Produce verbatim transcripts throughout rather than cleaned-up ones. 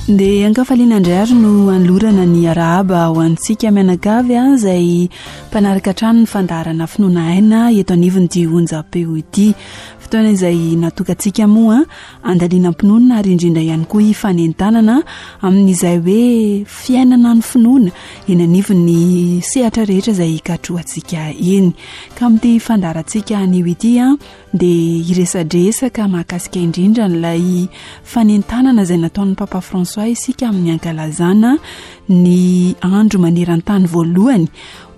Dia ankafaliana indray ary no anolorana ny arahaba ho antsika mianakavy a izay mpanaraka hatrany ny fandaharana Finoana Aina eto anivon'ity onjam-peo ity. Fotoana izay natokantsika moa andalinam-pinoana ary indrindra ihany koa hifanentanana amin'izay hoe fiainana ny finoana eny anivon'ny sehatra rehetra izay hikatrohantsika eny. Ka amin'ity fandaharantsika anio ity a dia hiresadresaka mahakasika indrindra n'ilay fanentanana izay nataon'ny Papa François isika amin'ny ankalazana ny andro maneran-tany voalohany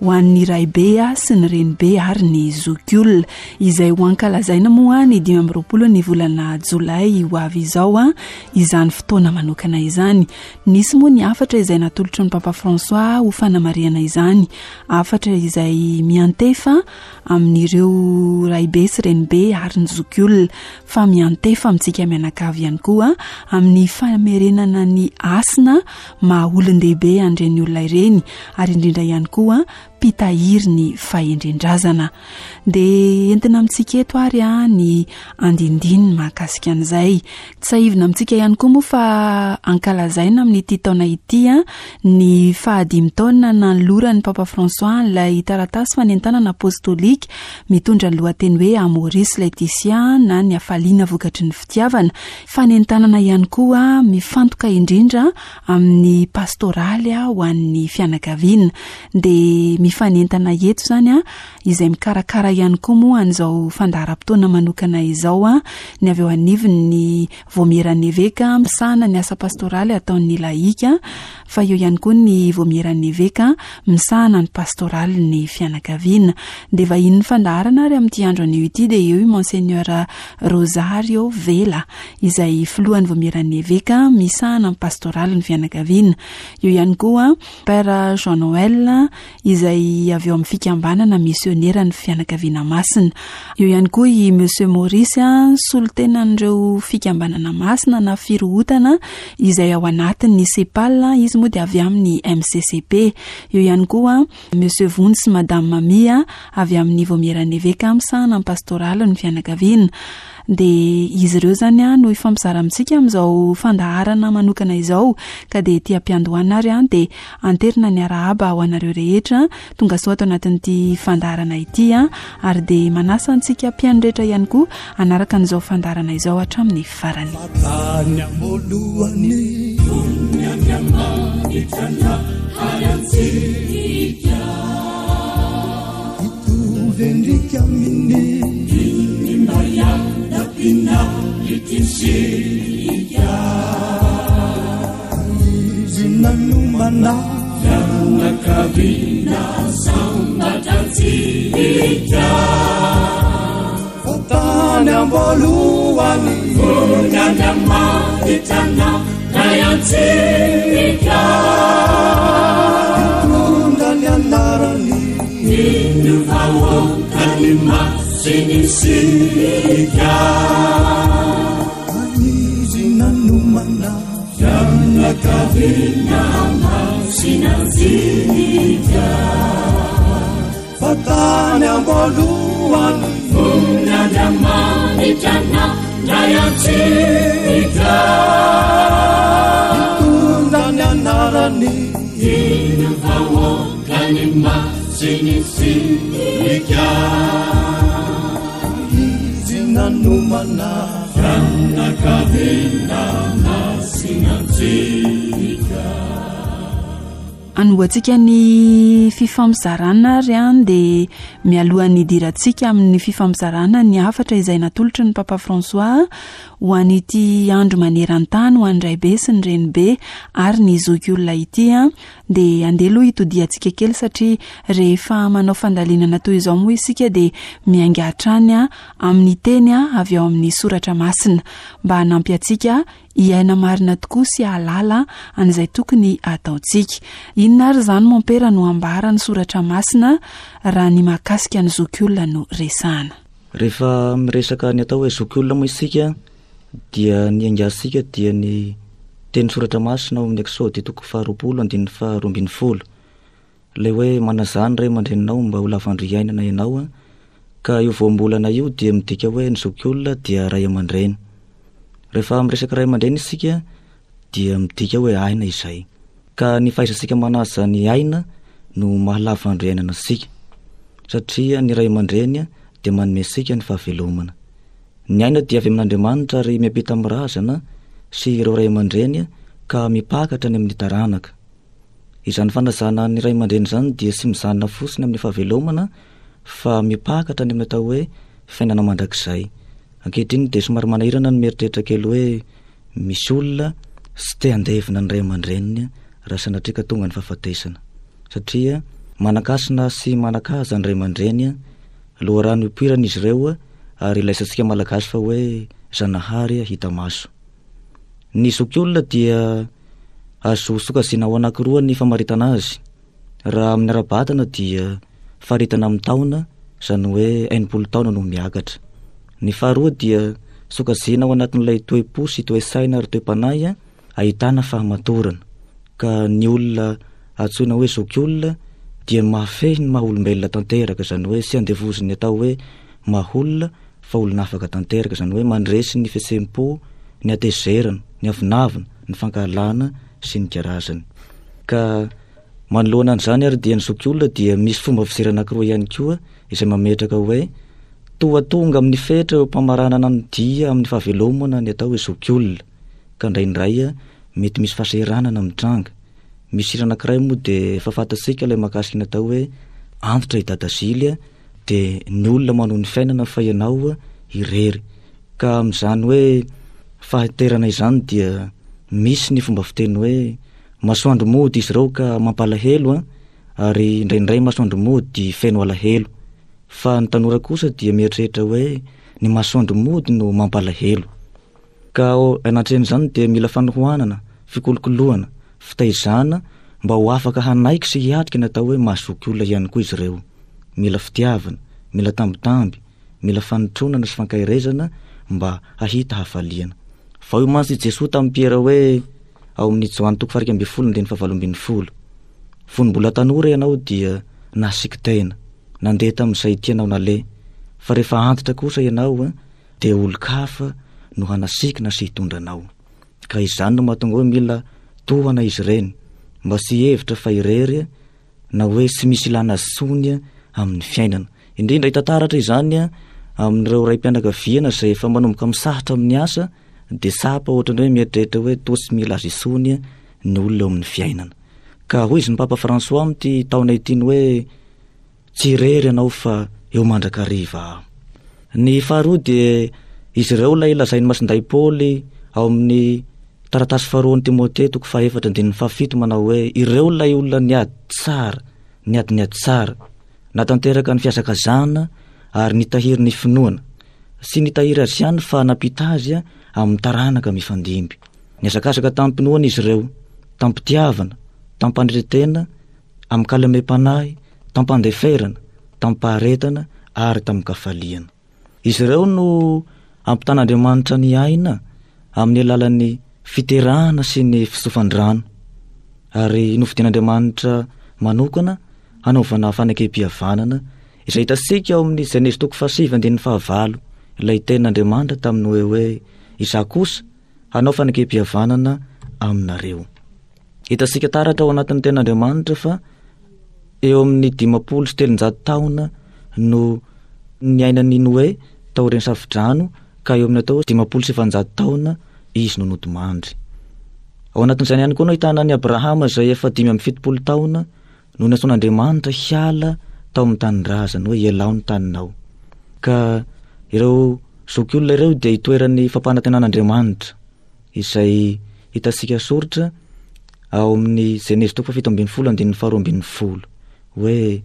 ho an'ny raibe sy ny renibe ary ny zokiolona, izay ho ankalazaina moa ny dimy amby roapolo ny volana jolay ho avy izao a izany fotoana manokana izany. Nisy moa ny hafatra izay natolotry ny Papa François ho fanamarihana izany, hafatra izay miantefa amin'ireo raibe sy renibe ary ny zokiolona, fa miantefa amintsika mianakavy ihany koa amin'ny famerenana ny hasina maha olon-dehibe an'ireny olona ireny ary indrindra ihany koa mpitahiry ny fahendren-drazana. Dia entina amintsika eto ary a ny andindiny mahakasika an'izay. Tsiahivina amintsika ihany koa moa fa ankalazaina amin'ity taona ity a ny fahadimy taona nanoloran'ny Papa François ilay taratasy fanentanana apostolika mitondra ny lohateny hoe Amoris Laetitia na ny hafaliana vokatry ny fitiavana. Fanentanana ihany koa mifantoka indrindra amin'ny pastoraly a ho an'ny fianakaviana. Dia mifanentana eto izany a izay mikarakara ihany koa moa an'izao fandaharam-potoana manokana izao a ny avy eo anivon'ny Vaomieran'ny Eveka misahana ny asa pastoraly ataon'ny lahika, fa eo ihany koa ny Vaomieran'ny Eveka misahana ny pastoraly ny fianakaviana. Dia vahinin'ny fandaharana ary amin'ity andro anio ity dia eo i Monseigneur Rosario Vela izay filohan'ny Vaomieran'ny Eveka misahana ny pastoraly ny fianakaviana. Eo ihany koa Père Jean Noël izay avy eo amin'ny fikambanana misionera ny fianakaviana masina. Eo ihany koa i Monsieur Maurice solontenan'ireo fikambanana masina na firohotana izay ao anatin'ny CEPAL, izy moa dia avy amin'ny M C C P. Eo ihany koa Monsieur Vonjy sy Madame Mamia avy amin'ny Vaomieran'ny Eveka misahana ny pastoraly ny fianakaviana. Dia izy ireo izany a no hifampizara amintsika amin'izao fandaharana manokana izao, ka dia ety am-piandohana ary a dia anterina ny arahaba ho anareo rehetra tonga soa ato anatin'ity fandaharana ity a, ary dia manasa antsika mpihaino rehetra ihany koa hanaraka an'izao fandaharana izao hatramin'ny farany. Tany am-boalohany, hitovy endrika amin'ny izy nanomana fianakaviana sambatra antsika. Fa tany am-boalohany, fony Andriamanitra nandray antsika, nitondra ny anarany, iny vahoakany masina isika. Izy nanomana fianakaviana masina antsika. Fa tany am-boalohany, fony Andriamanitra nandray antsika, nitondra ny anarany, iny vahoakany masina isika. Izy nanomana fianakaviana masina antsika. Anombohantsika ny fifampizarana ary a dia mialohan'ny hidirantsika amin'ny fifampizarana ny hafatra izay natolotry ny Papa François ho an'ity andro maneran-tany ho an'ny raibe sy ny renibe ary ny zokiolona ity a dia andeha aloha hitodiantsika kely satria rehefa manao fandalinana toy izao moa isika dia miainga hatrany a amin'ny teny a avy ao amin'ny soratra masina mba hanampy antsika hiaina marina tokoa sy hahalala an'izay tokony hataontsika. Inona ary izany mompera no ambara ny soratra masina raha ny mahakasika ny zokiolona no resahana? Rehefa miresaka ny atao hoe zokiolona moa isika dia ny aingasika dia ny teny soratra masina ao amin'ny Eksody toko faharoapolo andininy faharoa ambin'ny folo. Ilay hoe manaza ny ray aman-dreninao mba ho lavandro hiainana ianao a, ka io voambolana io dia midika hoe ny zokiolona dia ray aman-dreny. Rehefa miresaka ray aman-dreny isika dia midika hoe aina izay. Ka ny fahaizantsika manaja ny aina no mahalava andro iainana antsika, satria ny ray aman-dreny dia manome antsika ny fahavelomana. Ny aina dia avy amin'Andriamanitra ary miampita amin'ny razana sy ireo ray aman-dreny ka mipaka hatrany amin'ny taranaka. Izany fanajana ny ray aman-dreny izany dia tsy mijanona fotsiny amin'ny fahavelomana fa mipaka hatrany amin'ny atao hoe fiainana mandrakizay. Ankehitriny dia somary manahirana ny mieritreritra kely hoe misy olona tsy te handevina ny ray aman-dreniny raha sanatria ka tonga ny fahafatesana, satria manan-kasina sy manan-kaja ny ray aman-dreny, loharano ipoirana izy ireo ary ilaisantsika malagasy fa hoe Zanahary hita maso. Ny zokiolona dia azo sokajiana ho anankiroa ny famaritana azy. Raha amin'ny ara-batana dia faritana amin'ny taona, izany hoe enimpolo taona no miakatra. Ny faharoa dia sokajiana ao anatin'ilay toe-po sy toe-saina ary toe-panahy ahitana fahamatorana. Ka ny olona antsoina hoe zokiolona dia mahafehy ny maha olombelona tanteraka, izany hoe tsy andevozin'ny atao hoe maha olona fa olona afaka tanteraka, izany hoe mandresy ny fihetseham-po, ny hatezerana, ny avonavona, ny fankahalana sy ny karazany. Ka manoloana an'izany ary dia ny zokiolona dia misy fomba fijery anankiroa ihany koa izay mametraka hoe toa tonga amin'ny fetra eo am-pamaranana ny dia amin'ny fahavelomana ny atao hoe zokiolona, ka indraindray mety misy fahasahiranana mitranga. Misy hira anankiray moa dia efa fantatsika ilay mahakasika ny atao hoe antitra i Dada Zily, dia ny olona manohy ny fiainana fa ianao irery. Ka amin'izany hoe fahaterana izany dia misy ny fomba fiteny hoe masoandro mody izy ireo ka mampalahelo, a, ary indraindray masoandro mody feno alahelo. Fa ny tanora kosa dia mieritreritra hoe ny masoandro mody no mampalahelo. Ka ao anatrehan'izany dia mila fanohanana, fikolokoloana, fitaizana mba ho afaka hanaiky sy hiatrika ny atao hoe mahazoky olona ihany koa izy ireo. Mila fitiavana, mila tambitamby, mila fanotronana sy fankaherezana mba hahita hafaliana. Fa hoy mantsy i Jesoa tamin'i Piera hoe ao amin'ny Joany toko faha iraika ambin'ny folo andininy fahavalo ambin'ny folo: fony mbola tanora ianao dia nasiky tena, nandeha tamin'izay tianao naleha, fa rehefa antitra kosa ianao dia olon-kafa no hanasikina sy hitondra anao. Ka izany no mahatonga hoe mila tohana izy ireny mba tsy hihevitra fa irery na hoe tsy misy ilana azy intsony amin'ny fiainana. Indrindra hita taratra izany amin'ireo ray-pianakaviana izay efa manomboka misahatra amin'ny asa, dia tsapa ohatran'ny hoe mieritreritra hoe toa tsy mila azy intsony ny olona eo amin'ny fiainana. Ka hoy izy ny Papa François amin'ity taona ity ny hoe tsy irery ianao fa eo mandrakariva aho. Ny faharoa dia izy ireo ilay lazain'i Masindahy Paoly ao amin'ny taratasy faharoan'i Timothée toko fahaefatra andininy fahafito manao hoe ireo ilay olona niady tsara, niady niady tsara, natanteraka ny fihazakazahana ary nitahiry ny finoana. Tsy nitahiry azy ihany fa nampita azy amin'ny taranaka mifandimby. Nihazakazaka tamin'ny-pinoana izy ireo, tamin'ny-pitiavana, tamin'ny-pandretena, amin'ny kalamem-panahy, tamin'ny-pandeferana, tamin'ny-paharetana ary tamin'ny-kafaliana. Izy ireo no ampitan'Andriamanitra ny aina amin'ny alalan'ny fiterahana sy ny fitsofan-drano, ary nofidin'Andriamanitra manokana hanaovana fanekempihavanana izay hitantsika ao amin'ny Genezy toko fahasivy andininy fahavalo, ilay tenin'Andriamanitra tamin'ny hoe hoe izaho kosa hanao fanekempihavanana aminareo. Hitantsika taratra ao anatin'ny tenin'Andriamanitra fa eo amin'ny dimampolo sy telonjato taona no niainan'i Noé taorian'ny safodrano, ka eo amin'ny atao dimampolo sy efajato taona izy no nodimandry. Ao anatin'izany ihany koa no ahitana an'i Abrahama izay efa dimy amby fitopolo taona no nantsoin'Andriamanitra hiala tao amin'ny tanindrazany hoe ialao ny taninao. Ka ireo zokiolona ireo dia itoeran'ny fampanantenan'Andriamanitra izay hitantsika soritra ao amin'ny Genezy toko fahafito ambin'ny folo andininy faharoa ambin'ny folo hoe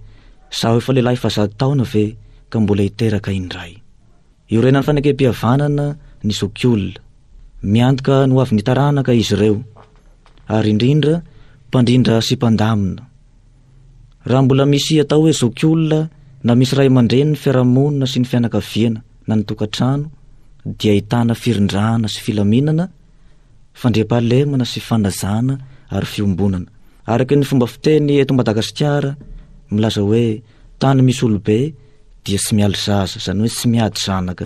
zaho efa lehilahy efa zato taona ve ka mbola hiteraka indray. Iorenan'ny fanekempihavanana ny zokiolona, miantoka ny ho avin'ny taranaka izy ireo, ary indrindra mpandrindra sy mpandamina. Raha mbola misy atao hoe zokiolona na misy ray aman-dreny ny fiarahamonina sy ny fianakaviana na ny tokantrano dia ahitana firindrana sy filaminana, fandriampahalemana sy fanajana ary fiombonana. Araka ny fomba fiteny eto Madagasikara milaza hoe tany misy olobe dia tsy mialy zaza, izany hoe tsy miady zanaka.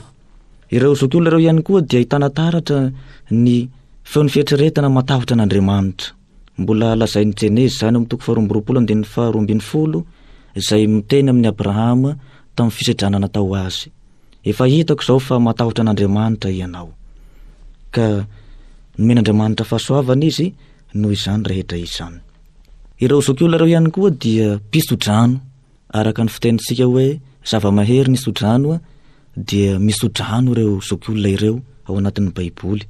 Ireo zokiolona ireo ihany koa dia ahitana taratra ny Feon'ny fieritreretana matahotra an'Andriamanitra. Mbola lazain'ny Jenezy izany amin'ny toko faharoa amby roapolo andininy faharoa ambin'ny folo, izay miteny amin'i Abrahama tamin'ny fisedrana natao azy. Efa hitako izao fa matahotra an'Andriamanitra ianao. Ka nomen'Andriamanitra fahasoavana izy noho izany rehetra izany. Ireo zokiolona ireo ihany koa dia mpisodrano, araka ny fitenintsika hoe zava-mahery ny sodrano, dia misodrano ireo zokiolona ireo ao anatin'ny Baiboly.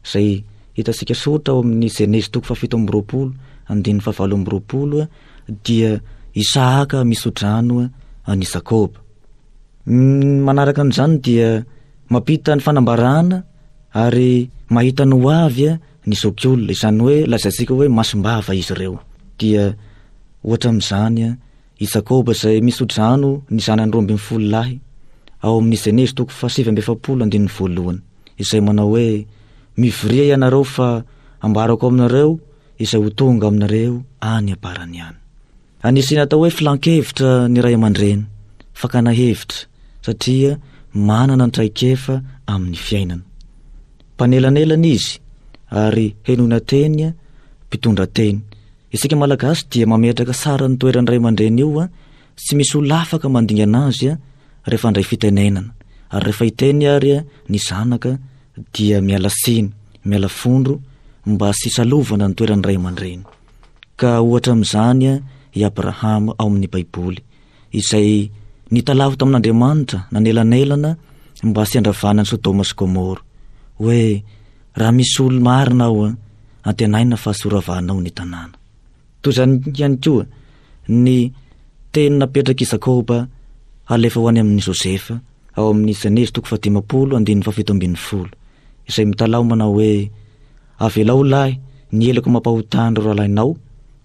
Izay hitantsika soratra ao amin'ny Jenezy toko fahafito amby roapolo, andininy fahavalo amby roapolo, dia Isahaka misodrano an'i Jakoba. Manaraka an'izany dia mampita ny fanambarana ary mahita ny ho avy ny zokiolona, izany hoe lazaintsika hoe masom-bava izy ireo. Dia ohatra amin'izany i Jakoba izay misodrano ny zanany roa ambin'ny folo lahy ao amin'ny Jenezy toko fahasivy amby efapolo andininy voalohany, izay manao hoe mivoria ianareo fa ambarako aminareo izay ho tonga aminareo any am-parany any. Anisan'ny atao hoe filan-kevitra ny ray aman-dreny, fakana hevitra, satria manana ny traikefa amin'ny fiainana. Mpanelanelana izy ary henoina teny, mpitondra teny. Isika Malagasy dia mametraka sara ny toeran'ny ray aman-dreny io, tsy misy olona afaka mandingana azy rehefa handray fitenenana. Ary rehefa hiteny ary ny zanaka dia miala tsiny, miala fondro mba tsy hisalovana ny toeran'ny ray aman-dreny. Ka ohatra amin'izany i Abrahama ao amin'ny Baiboly, izay nitalaho tamin'Andriamanitra nanelanelana mba tsy handravana ny Sodoma sy Gomora, hoe raha misy olo marina ao, antenaina fa tsy horavanao ny tanàna. Toy izany ihany koa ny teny napetrak'i Jakoba halefa ho any amin'i Josefa ao amin'ny Jenezy toko fahadimampolo andininy fahafito ambin'ny folo, izay mitalaho manao hoe avelao lahy ny heloko mampahotany ireo rahalahinao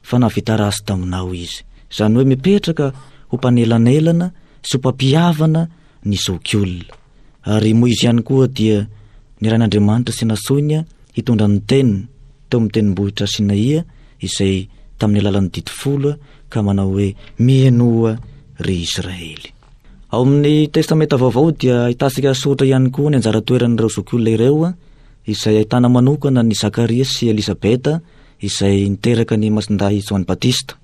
fa nahavita ratsy taminao izy. Izany hoe mipetraka ho mpanelanelana sy ho mpampihavana ny zokiolona. Ary Moizy ihany koa dia nirahin'Andriamanitra sy nasoiny hitondra ny teniny teo amin'ny tendrombohitra Sinaia, izay tamin'ny alalan'ny didy folo, ka manao hoe mihainoa ry Israely. Ao amin'ny Testamenta Vaovao dia ahitantsika soratra ihany koa ny anjara toeran'ireo zokiolona ireo, izay ahitana manokana ny Zakaria sy Elizabeta, izay niteraka ny masindahy Joany Batista.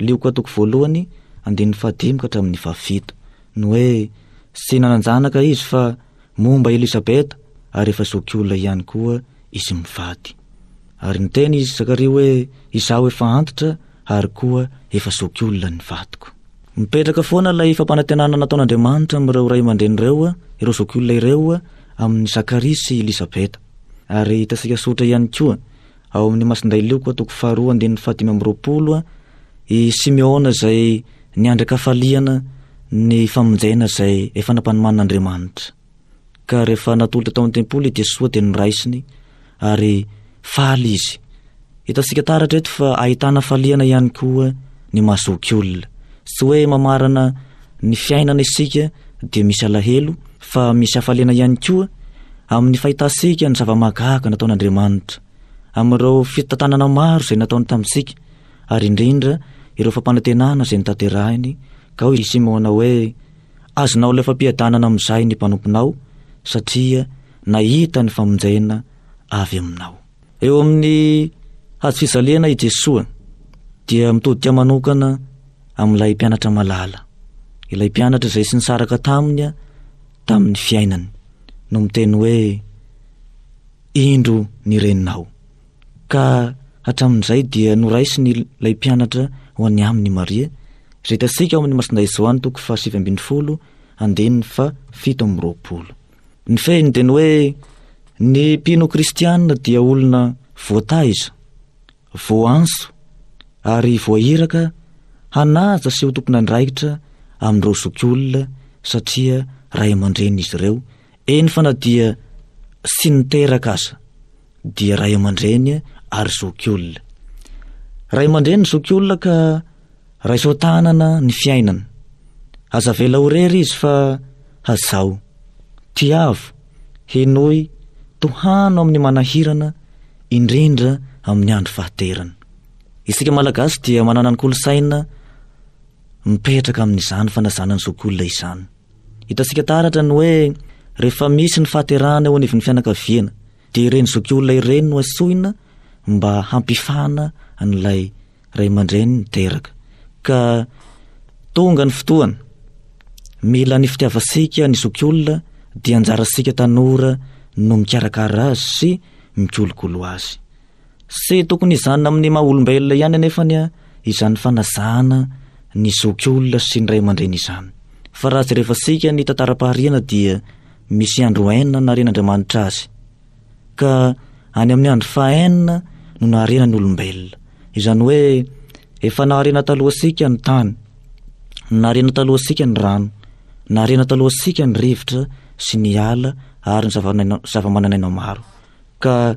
Lioka toko voalohany andininy fahadimy ka hatramin'ny fahafito. Ny hoe tsy nanan-janaka izy fa momba Elizabeta ary efa zokiolona ihany koa izy mivady. Ary niteny izy Zakaria hoe izaho efa antitra ary koa efa zokiolona ny vadiko. Mipetraka foana ilay fampanantenana nataon'Andriamanitra amin'ireo ray aman-dreny ireo, ireo zokiolona ireo, amin'ny Zakaria sy Elizabeta. Ary hitantsika soratra ihany koa ao amin'ny Masindahy Lioka toko faharoa andininy fahadimy amby roapolo, i Simeona izay niandry an-kafaliana ny famonjena izay efa nampanomanin'Andriamanitra. Ka rehefa natolotra tao amin'ny tempoly i Jesoa dia noraisiny ary faly izy. Hitantsika taratra eto fa ahitana faliana ihany koa ny mahazokiolona. Tsy hoe mamarana ny fiainana isika dia misy alahelo, fa misy hafaliana ihany koa amin'ny fahitantsika ny zava-mahagaga nataon'Andriamanitra, amin'ireo fitantanana maro izay nataony tamintsika, ary indrindra ireo fampanantenana izay notanterahiny. Ka hoy i Simona hoe azonao ilay fampiadanana amin'izay ny mpanomponao, satria nahita ny famonjena avy aminao. Eo amin'ny hazo fijaliana i Jesoa dia mitodika manokana amin'ilay mpianatra malala, ilay mpianatra izay tsy nisaraka taminy tamin'ny fiainany, no miteny hoe indro ny reninao. Ka hatramin'izay dia noraisiny ilay mpianatra ho any aminy Maria, izay hitantsika ao amin'ny Masindahy Joany toko fahasivy ambin'ny folo andininy fahafito amby roapolo. Ny fehiny dia ny hoe ny mpino kristianina dia olona voataiza, voanso ary voahiraka hanaja sy ho tompon'andraikitra amin'ireo zokiolona, satria ray aman-dreny izy ireo, eny fa na dia tsy niteraka aza dia ray aman-dreny ary zokiolona. Ray aman-dreny zokiolona ka raiso tanana ny fiainana. Aza avela ho rery izy fa hazao, tiavo, henoy, tohano amin'ny manahirana, indrindra amin'ny andro fahaterana. Isika Malagasy dia manana ny kolontsaina mipetraka amin'izany fanazana ny zokiolona izany. Hitantsika taratra ny hoe rehefa misy ny fahaterahana eo anivon'ny fianakaviana, Dia ireny zokiolona ireny no antsoina mba hampifana an'ilay ray aman-dreny niteraka. Ka tonga ny fotoana, mila ny fitiavantsika ny zokiolona, dia anjarantsika tanora no mikarakara azy sy mikolokolo azy. Tsy tokony hizanona amin'ny maha olombelona ihany anefa ny izany fanajana ny zokiolona sy ny ray aman-dreny izany. Fa raha jerevantsika ny tantaram-pahariana dia misy andro enina naharian'Andriamanitra azy. Ka any amin'ny andro fahaenina no nahariana ny olombelona. Izany hoe efa nahariana talohantsika ny tany, nahariana talohantsika ny rano, nahariana talohantsika ny rivotra sy ny ala ary ny zava-naina, zava-mananaina maro. Ka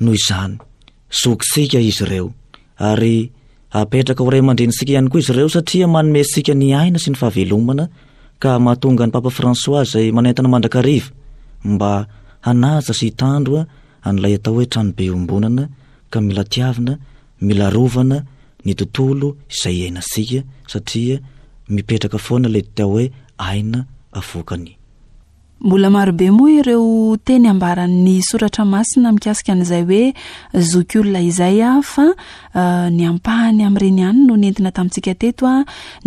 noho izany, zokintsika izy ireo ary apetraka ho ray aman-drenintsika ihany koa izy ireo satria manome antsika ny aina sy ny fahavelomana, ka mahatonga ny Papa François izay manentana mandrakariva mba hanaja sy hitandro an'ilay atao hoe tranobe iombonana, ka mila tiavina, mila arovana ny tontolo izay iainantsika satria mipetraka foana ilay atao hoe aina avoakany. Mbola marobe moa ireo teny ambaran'ny soratra masina mikasika an'izay hoe zokiolona izay, fa ny ampahany amin'ireny ihany no nentina tamintsika teto,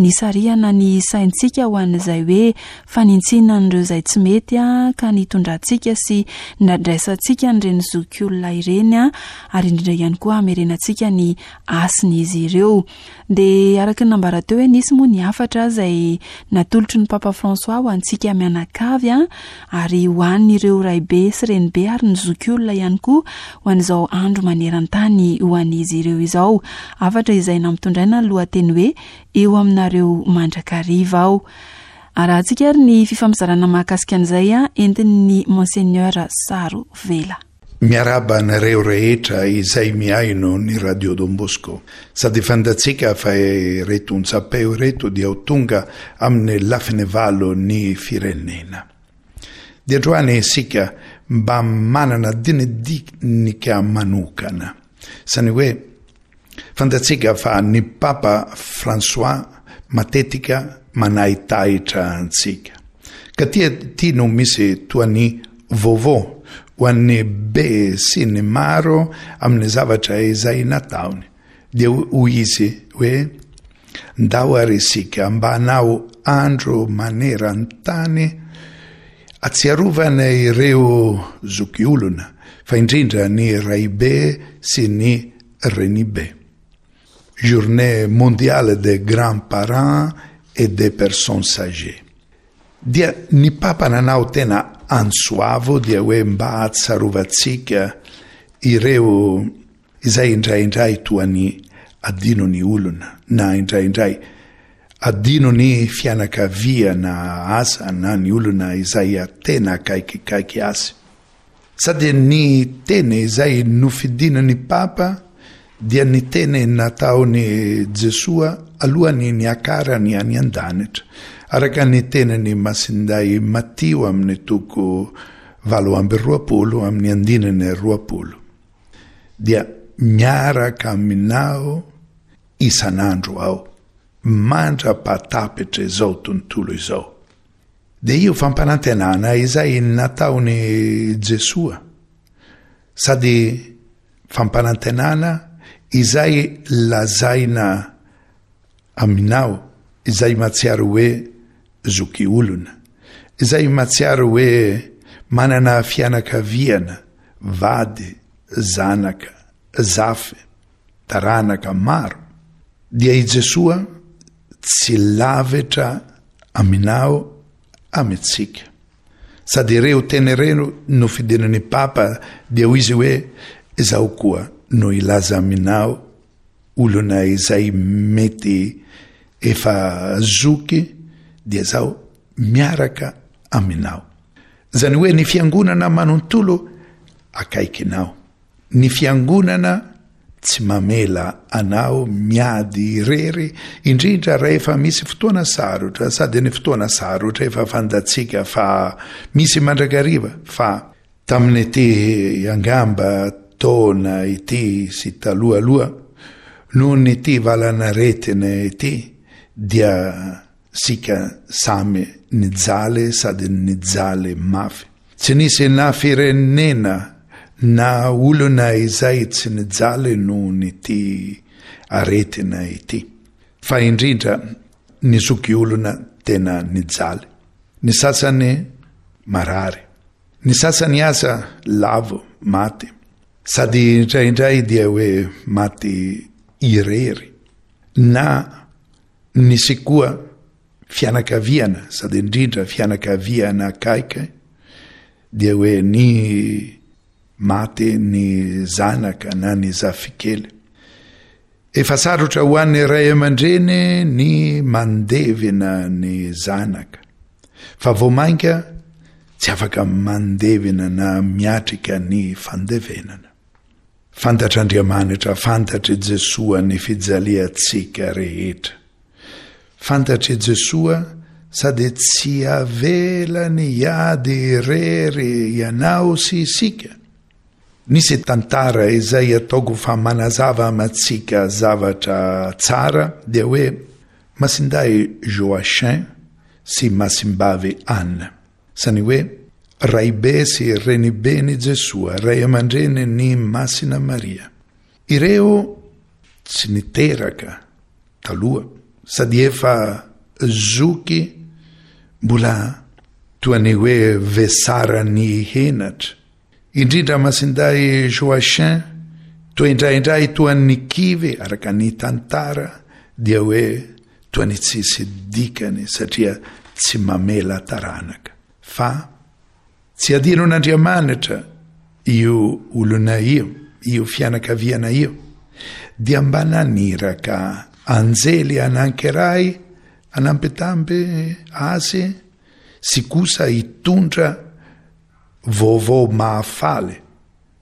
nisarihana ny saintsika ho an'izay hoe fanintsiana an'ireo izay tsy mety, ka nitondrantsika sy nandraisantsika an'ireny zokiolona ireny, ary indrindra ihany koa hamerenantsika ny hasin'izy ireo. Dia araka ny nambara teo hoe nisy moa ny hafatra izay natolotry ny Papa François ho antsika mianakavy, ary ho an'ireo raibe sy renibe ary ny zokiolona ihany koa ho an'izao andro maneran-tany ho an'izy ireo izao. Hafatra izay nampitondraina ny lohateny hoe eo aminareo mandrakariva aho. Arahantsika ary ny fifampizarana mahakasika an'izay entin'ny Monseigneur Saro Vela. Miarahaba anareo rehetra izay mihaino ny Radio Don Bosco. Sady fantatsika fa ireto onjam-peo ireto dia ho tonga amin'ny lafiny valo ny firenena. Dia androany isika mba manana dinidinika manokana. Zany hoe fantatsika fa ny Papa François matetika manahitahitra antsika. Ka tia ty no misy toa ny vaovao ho an'ny be sy ny maro amin'ny zavatra izay nataony. Dia hoy izy hoe ndao ary isika mba hanao andro maneran-tany atsiarovana ireo zokiolona, fa indrindra ny raibe sy ny renibe. Journée mondiale des grands-parents et des personnes âgées. Dia ny Papa nanao tena antso avo dia hoe mba hatsarovantsika ireo izay indraindray toa ny adino ny olona, na indraindray adino ny fianakaviana asa na ny olona izay tena akaikikaiky azy. Sady ny teny izay nofidin'ny Papa dia ny teny nataony Jesoa alohan'ny niakarany any an-danitra, araka ny teniny Masinday Matio amin'ny toko valo amby roapolo amin'ny andininy roapolo. Dia miaraka aminao isan'andro aho, mandra-pahatapitra izao tontolo izao. Dia io fampanantenana izay nataony Jesoa, sady fampanantenana izay lazaina aminao, izay mahatsiaro hoe zoky olona, izay mahatsiaro hoe manana fianakaviana, vady, zanaka, zafy, taranaka maro. Dia i Jesoa tsy lavitra aminao amintsika. Sady ireo teny ireo no fidinan'ny Papa dia hoy izy hoe izaho koa no hilaza aminao olona izay mety efa zoky, dia zaho miaraka aminao. Zany hoe ny fiangonana manontolo akaikinao. Ny fiangonana tsy mamela anao miady irery, indrindra rehefa misy fotoana sarotra, sady ny fotoana sarotra efa fantatsika fa misy mandrakariva, fa tamin'ity angamba taona ity sy talohaloha noho ny ity valanaretina ity dia sika samy nijaly sady nijaly mafy. Tsy nisy na firenena na olona izay tsy nijaly nohon'ity aretina ity. Fa indrindra ny zokiolona tena nijaly. Ny sasany marary, ny sasany aza lavo, maty. Sady indraindray dia hoe maty irery. Na nisy koa fianakaviana, sady indrindra fianakaviana akaiky, dia hoe ny maty ny zanaka na ny zafikely. Efa sarotra ho an'ny ray aman-dreny ny mandevina ny zanaka, fa vao mainka tsy afaka mandevina na miatrika ny fandevenana. Fantatr'Andriamanitra, fantatr'i Jesoa ny fijaliantsika rehetra. Fantatr'i Jesoa sady tsy avelany hiady irery ianao sy isika. Nisy tantara izay ataoko fa manazava amintsika zavatra tsara, dia hoe Masindahy Joachim sy Masimbavy Anne. Izany hoe raibe sy reniben'i Jesoa, ray aman-dreny ny Masina Maria. Ireo tsy niteraka taloha sady efa zoky mbola toa ny hoe vesaran'ny henatra. Indrindra Masindahy Joachim toa indraindray toa ny kivy araka ny tantara, dia hoe toa ny tsisy dikany satria tsy mamela taranaka. Fa tsy adinon'Andriamanitra io olona io, io fianakaviana io, dia mba naniraka anjely anankiray anampitamby azy sy kosa hitondra vaovao mahafaly.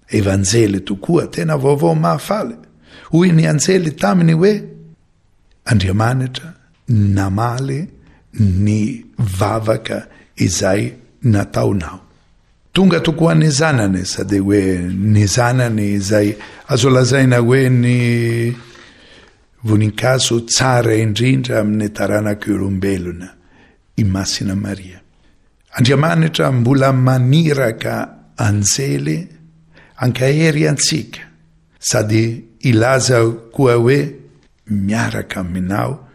Evanjely tokoa, tena vaovao mahafaly. Hoy ny anjely taminy hoe Andriamanitra namaly ny vavaka izay nataonao. Tonga tokoa ny zanany, sady hoe ny zanany izay azo lazaina hoe ny voninkazo tsara indrindra amin'ny taranak'olombelona, i Masina Maria. Andriamanitra mbola maniraka anjely ankahery antsika, sady hilaza koa hoe miaraka aminao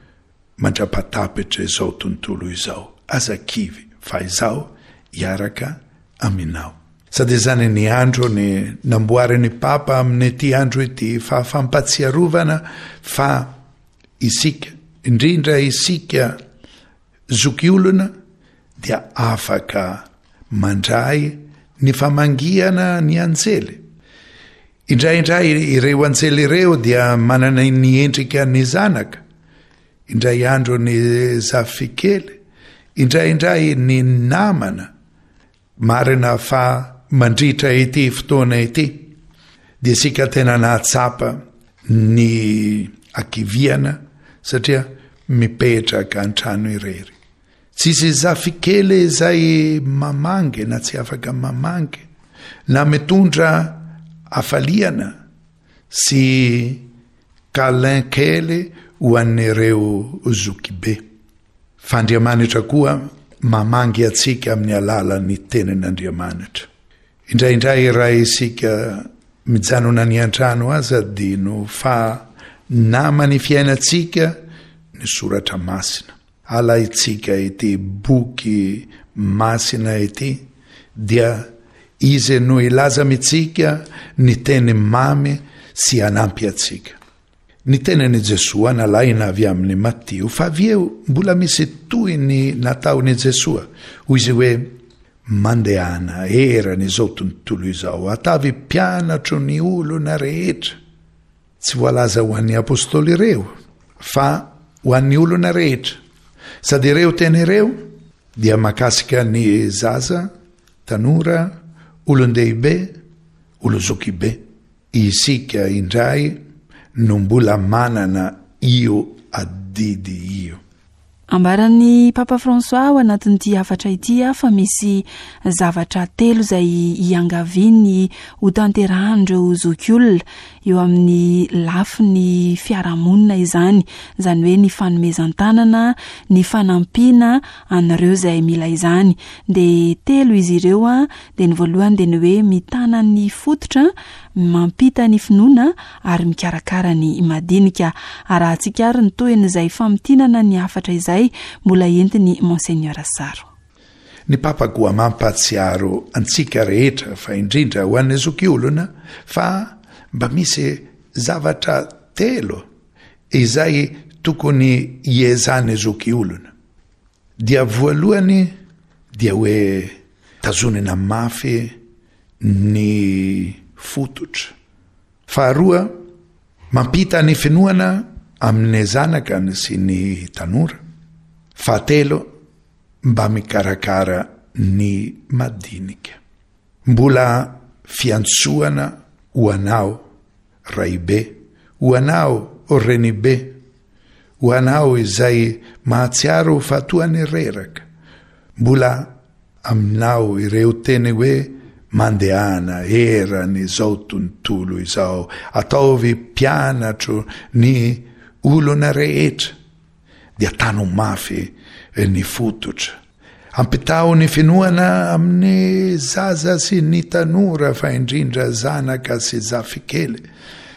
mandra-patapitra izao tontolo izao. Aza kivy fa izaho hiaraka aminao. Sady izany ny andro ny namboarin'ny Papa amin'ity andro ity, fa fampatsiarovana fa isika, indrindra isika zokiolona, dia afaka mandray ny famangiana ny anjely. Indraindray ireo anjely ireo dia manana ny endrika ny zanaka, indray andro ny zafikely, indraindray ny namana. Marina fa mandritra ity fotoana ity dia isika tena nahatsapa ny hakiviana satria mipetraka an-trano irery. Tsisy zafikely izay mamangy na tsy afaka mamangy na mitondra hafaliana sy câlin kely ho an'ireo zokibe. Fa Andriamanitra koa mamangy antsika amin'ny alalan'ny tenin'Andriamanitra. Indraindray raha isika mijanona any an-trano aza adino fa naman'ny fiainantsika ny soratra masina. Alaintsika ity boky masina ity dia izy no hilaza amintsika ny teny mamy sy hanampy antsika. Ny tenin'i Jesoa nalaina avy amin'i Matio, fa avy eo mbola misy tohiny nataon'i Jesoa. Hoy izy hoe, Mandehana eran'izao tontolo izao, atavy mpianatro ny olona rehetra. Tsy voalaza ho an'ny apostoly ireo, fa ho an'ny olona rehetra. Sady ireo teny ireo dia mahakasika ny zaza, tanora, olon-dehibe, olo-zokibe. Isika indray no mbola manana io adidy io. Ambaran'ny Papa François ao anatin'ity hafatra ity fa misy zavatra telo izay iangaviany ho tanterahan'ireo zokiolona eo amin'ny lafiny fiarahamonina izany, izany hoe ny fanomezan-tanana, ny fanampiana an'ireo izay mila izany. Dia telo izy ireo, dia ny voalohany dia ny hoe mitana ny fototra, mampita ny finoana ary mikarakara ny madinika. Arahantsika ary ny tohin'izay famintinana ny hafatra izay mbola entin'i Monseigneur Saro. Ny Papa koa mampahatsiaro antsika rehetra, fa indrindra ho an'ny zokiolona, fa mba misy zavatra telo izay tokony hiezan'ny zokiolona. Dia voalohany dia hoe tazonina mafy ny fototra. Faharoa, mampita ny finoana amin'ny zanaka sy ny tanora. Fahatelo, mba mikarakara ny madinika. Mbola fiantsoana ho anao raibe, ho anao renibe, ho anao izay mahatsiaro fa toa ny reraka. Mbola aminao ireo teny hoe mandehana eran'izao tontolo izao, ataovy mpianatro ny olona rehetra, dia tano mafy ny fototra. Ampitaho ny finoana amin'ny zaza sy ny tanora, fa indrindra zanaka sy zafikely.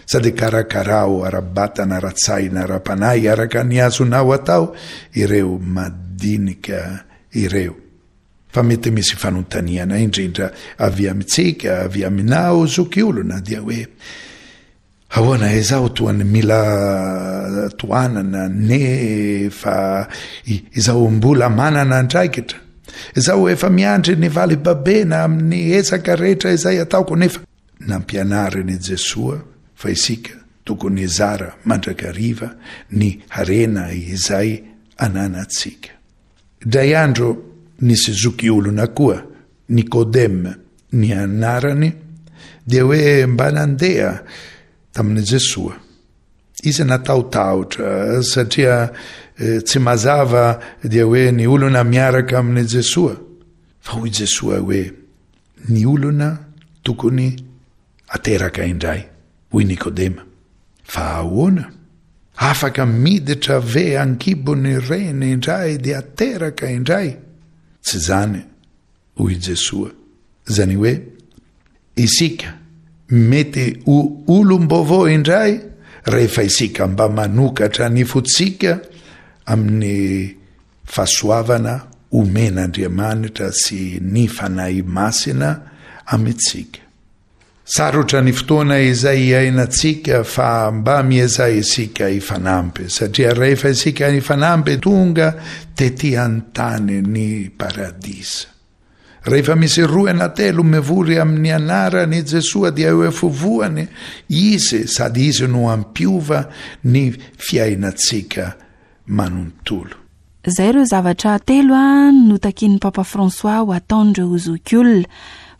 Sady karakarao ara-batana, ara-tsaina, ara-panahy, araka ny azonao atao ireo madinika ireo. Fa mety misy fanontaniana indrindra avy amintsika, avy aminao zokiolona, dia hoe ahoana izaho toa ny mila tohanana nefa izaho mbola manana andraikitra, izaho efa miandry ny valibabena amin'ny ezaka rehetra izay ataoko, nefa nampianarin'i Jesoa fa isika tokony hizara mandrakariva ny harena izay ananantsika. Indray andro nisy zokiolona koa, Nikodema ny anarany, dia hoe mba nandeha tamin'i Jesoa. Izy natahotahotra satria tsy mazava dia hoe ny olona miaraka amin'i Jesoa. Fa hoy Jesoa hoe ny olona tokony ateraka indray, hoy Nikodema. Fa ahoana? Afaka miditra ve an-kibon'ny reny indray dia ateraka indray? Tsy zany, hoy Jesoa. Zany hoe isika mety ho olom-baovao indray rehefa isika mba manokatra ny fontsika amin'ny fahasoavana omen'Andriamanitra sy ny Fanahy Masina amintsika. Sarotra ny fotoana izay iainantsika, fa mba miezaha isika hifanampy, satria rehefa isika hifanampy tonga tety an-tany ny paradisa. Rehefa misy roa na telo mivory amin'ny anaran'i Jesoa dia eo afovoany izy, sady izy no hampiova ny fiainantsika manontolo. Izay ireo zavatra telo a notakian'ny Papa François ho ataon'ireo zokiolona.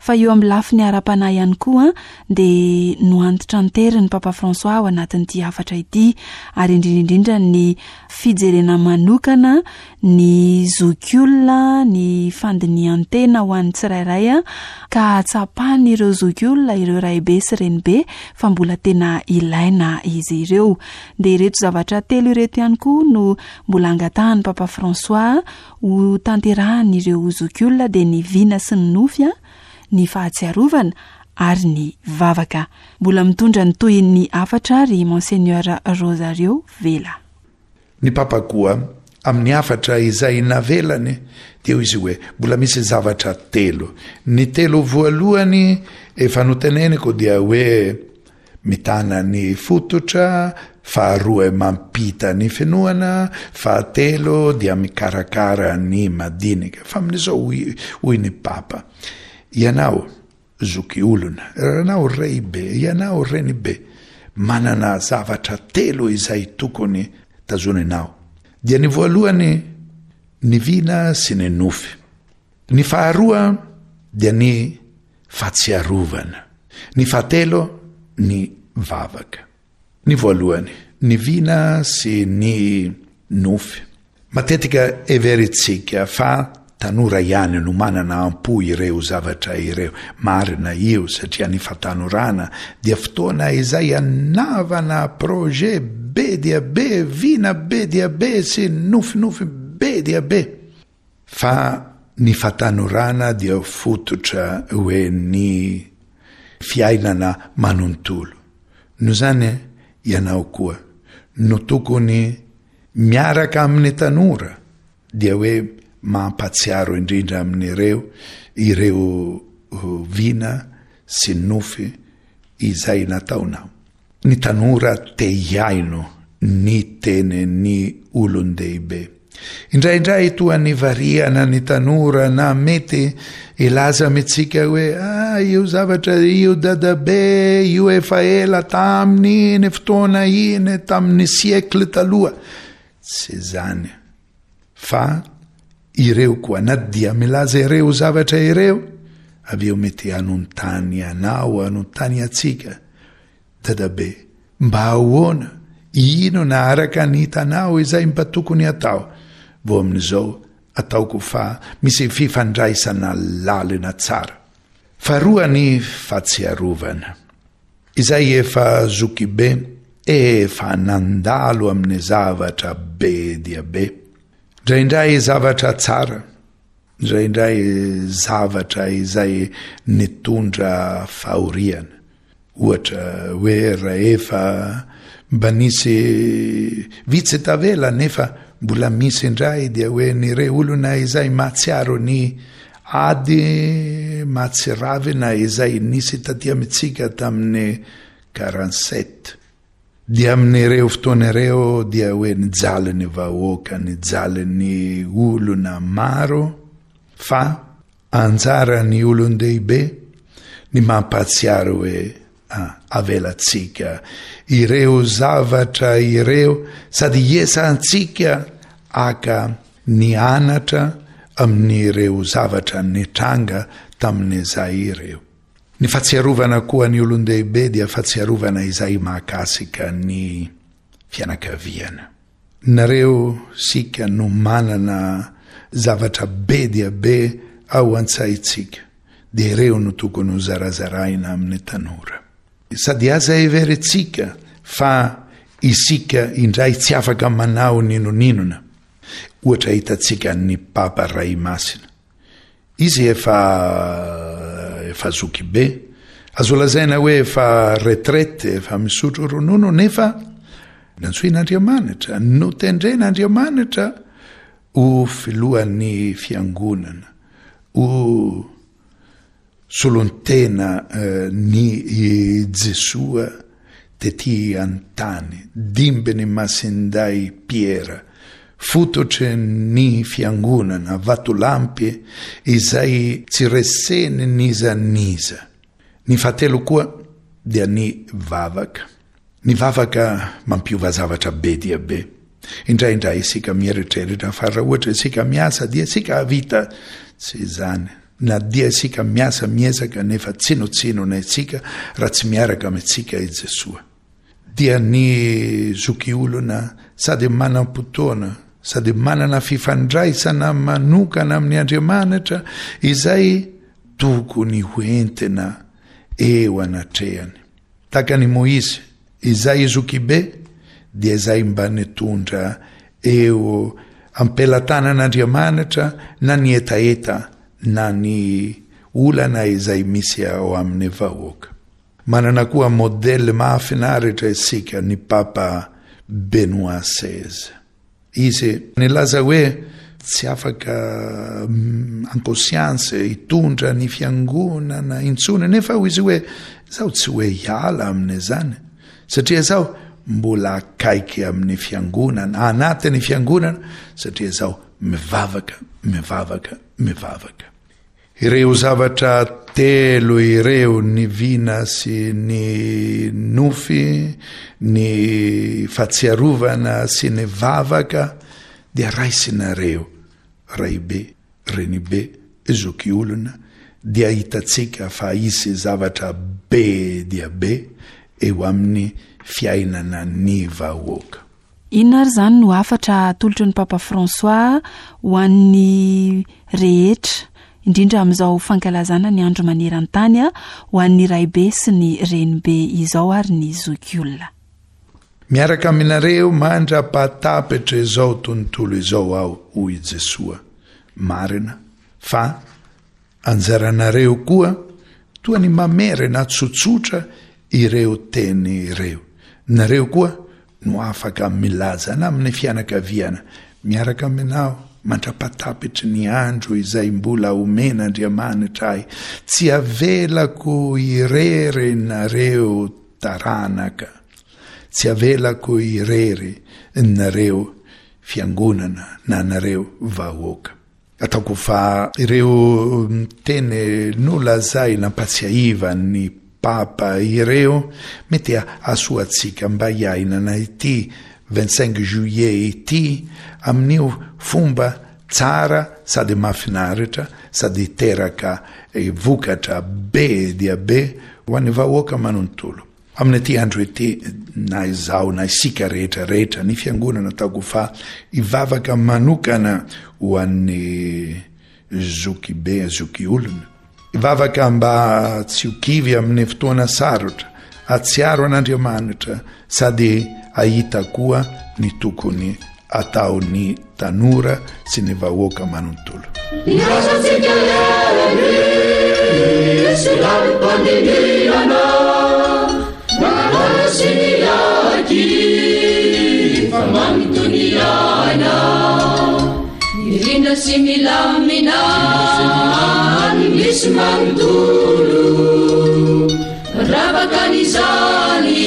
Fa eo amin'ny lafiny ara-panahy ihany koa dia noantitranteriny Papa François ao anatin'ity hafatra ity, ary indrindra indrindra ny fijerena manokana ny zokiolona, ny fandinihan-tena ho an'ny tsirairay, ka hatsapan'ireo zokiolona, ireo raibe sy renibe, fa mbola tena ilaina izy ireo. Dia ireto zavatra telo ireto ihany koa no mbola angatahan'ny Papa François ho tanterahan'ireo zokiolona, dia ny vina sy ny nofy, ny fahatsiarovana ary ny vavaka. Mbola mitondra ny tohin'ny hafatra ry Monseigneur Rosario Vela. Ny Papa koa amin'ny hafatra izay navelany dia hoy izy hoe mbola misy zavatra telo. Ny telo voalohany efa noteneniko dia hoe mitana ny fototra, faharoa mampita ny finoana, fahatelo dia mikarakara ny madinika. Fa amin'izao hoy, hoy ny Papa, ianao zoky olona, ianao raibe, ianao renibe, manana zavatra telo izay tokony tazoninao. Dia ny voalohany ny vina sy ny nofy. Ny faharoa dia ny fahatsiarovana. Ny fahatelo ny vavaka. Ny voalohany ny vina sy ny nofy. Matetika heverintsika fa tanora ihany no manana am-po ireo zavatra ireo. Marina io satria ny fahatanorana dia fotoana izay anavana projet be dia be, vina be dia be sy nofinofy be dia be. Fa ny fahatanorana dia fototra hoe ny fiainana manontolo. Noho izany ianao koa no tokony miaraka amin'ny tanora dia hoe mampahatsiaro indrindra amin'ireo ireo vina sy nofy izay nataonao. Ny tanora te hihaino ny tenin'ny olon-dehibe. Indraindray toa ny variana ny tanora na mety hilaza amintsika hoe ah, io zavatra io dadabe io efa ela tamin'iny fotoana iny, tamin'ny siècle taloha. Tsy izany fa ireo koa na dia milaza ireo zavatra ireo, avy eo mety hanontany anao, hanontany antsika, dadabe, mba ahoana, inona araka ny hitanao izay mba tokony atao? Vao amin'izao ataoko fa misy fifandraisana lalina tsara. Faharoa ny fahatsiarovana. Izay efa zokibe, efa nandalo amin'ny zavatra be dia be. Indraindray zavatra tsara, indraindray zavatra izay nitondra fahoriana. Ohatra hoe rahefa mba nisy vitsy tavela nefa mbola misy indray dia hoe ny re olona izay mahatsiaro ny ady mahatsiravina izay nisy taty amintsika tamin'ny quarante-sept. Dia amin'ireo fotoana ireo dia hoe nijaly ny vahoaka, nijaly ny olona maro, fa anjaran'ny olon-dehibe ny mampahatsiaro hoe ah, avelantsika ireo zavatra ireo sady iesantsika aka ny anatra amin'ireo zavatra nitranga tamin'izay ireo. Ny fahatsiarovana koa ny olon-dehibe dia fahatsiarovana izay mahakasika ny fianakaviana. Nareo sika no manana zavatra be dia be ao an-tsaintsika, dia ireo no tokony ho zarazaraina amin'ny tanora. Sady aza heverintsika fa isika indray tsy afaka manao n'inon'inona. Ohatra hitantsika ny Papa Ray Masina. Izy efa efa zoky be, azo lazaina hoe efa retraite, efa misotro ronono, nefa nantsoin'Andriamanitra, notendren'Andriamanitra ho filohan'ny fiangonana, ho solontena ny Jesoa tety an-tany, dimbin'ny Masinday Piera, fototry ny fiangonana, vatolampy izay tsy reseny n'iza n'iza. Ny fahatelo koa dia ny vavaka. Ny vavaka mampiova zavatra be dia be. Indraindray isika mieritreritra fa raha ohatra isika miasa dia isika hahavita. Tsy izany. Na dia isika miasa miezaka nefa tsinotsinona isika raha tsy miaraka amintsika i Jesoa. Dia ny zokiolona sady manam-potoana sady manana fifandraisana manokana amin'ny Andriamanitra izay tokony ho entina eo anatrehany. Tahaka an'i Moizy, izay zokibe dia izay mba nitondra eo am-pelatanan'Andriamanitra na ny hetaheta na ny olana izay misy ao amin'ny vahoaka. Manana koa modely mahafinaritra isika ny Papa Benoît seize. Izy nilaza hoe tsy afaka en conscience hitondra ny fiangonana intsony, nefa hoy izy hoe zaho tsy hoe hiala amin'izany satria zaho mbola akaiky amin'ny fiangonana, anatin'ny fiangonana, satria zaho mivavaka, mivavaka, mivavaka. Ireo zavatra telo ireo, ny vina sy ny nofy, ny fahatsiarovana sy ny vavaka, dia raisinareo, raibe, renibe, zokiolona, dia hitantsika fa hisy zavatra be dia be eo amin'ny fiainana ny vahoaka. Inona ary izany no hafatra atolotry ny Papa François ho an'ny rehetra, indrindra amin'izao fankalazana ny andro maneran-tany ho an'ny raibe sy ny renibe izao ary ny zokiolona? Miaraka aminareo mandra-pahatapitra izao tontolo izao aho, hoy i Jesoa. Marina fa anjaranareo koa toa ny mamerina tsotsotra ireo teny ireo. Nareo koa no afaka milaza na amin'ny fianakaviana, Miaraka aminao mandra-pahatapitry ny andro izay mbola omen'Andriamanitra ahy, tsy avelako irery nareo taranaka, tsy avelako irery nareo fiangonana na nareo vahoaka. Ataoko fa ireo teny nolazaina ampatsiahivan'ny Papa ireo mety hahasoa antsika mba hiainana ity vingt cinq juillet ity amin'io fomba tsara sady mahafinaritra sady hiteraka vokatra be dia be ho an'ny vahoaka manontolo. Amin'ity andro ity, na izaho na isika rehetra rehetra, ny Fiangonana ataoko fa hivavaka manokana ho an'ny zokibe, zokiolona. Hivavaka mba tsy ho kivy amin'ny fotoana sarotra, hahatsiaro an'Andriamanitra sady hahita koa ny tokony ataon'ny tanora sy ny vahoaka manontolo. Irasantsika hery sy lalim-pandinihana, mahalala sy miaky fa manontoniana. Mirindra sy milamina ny misy manontolo, mandravaka an'izany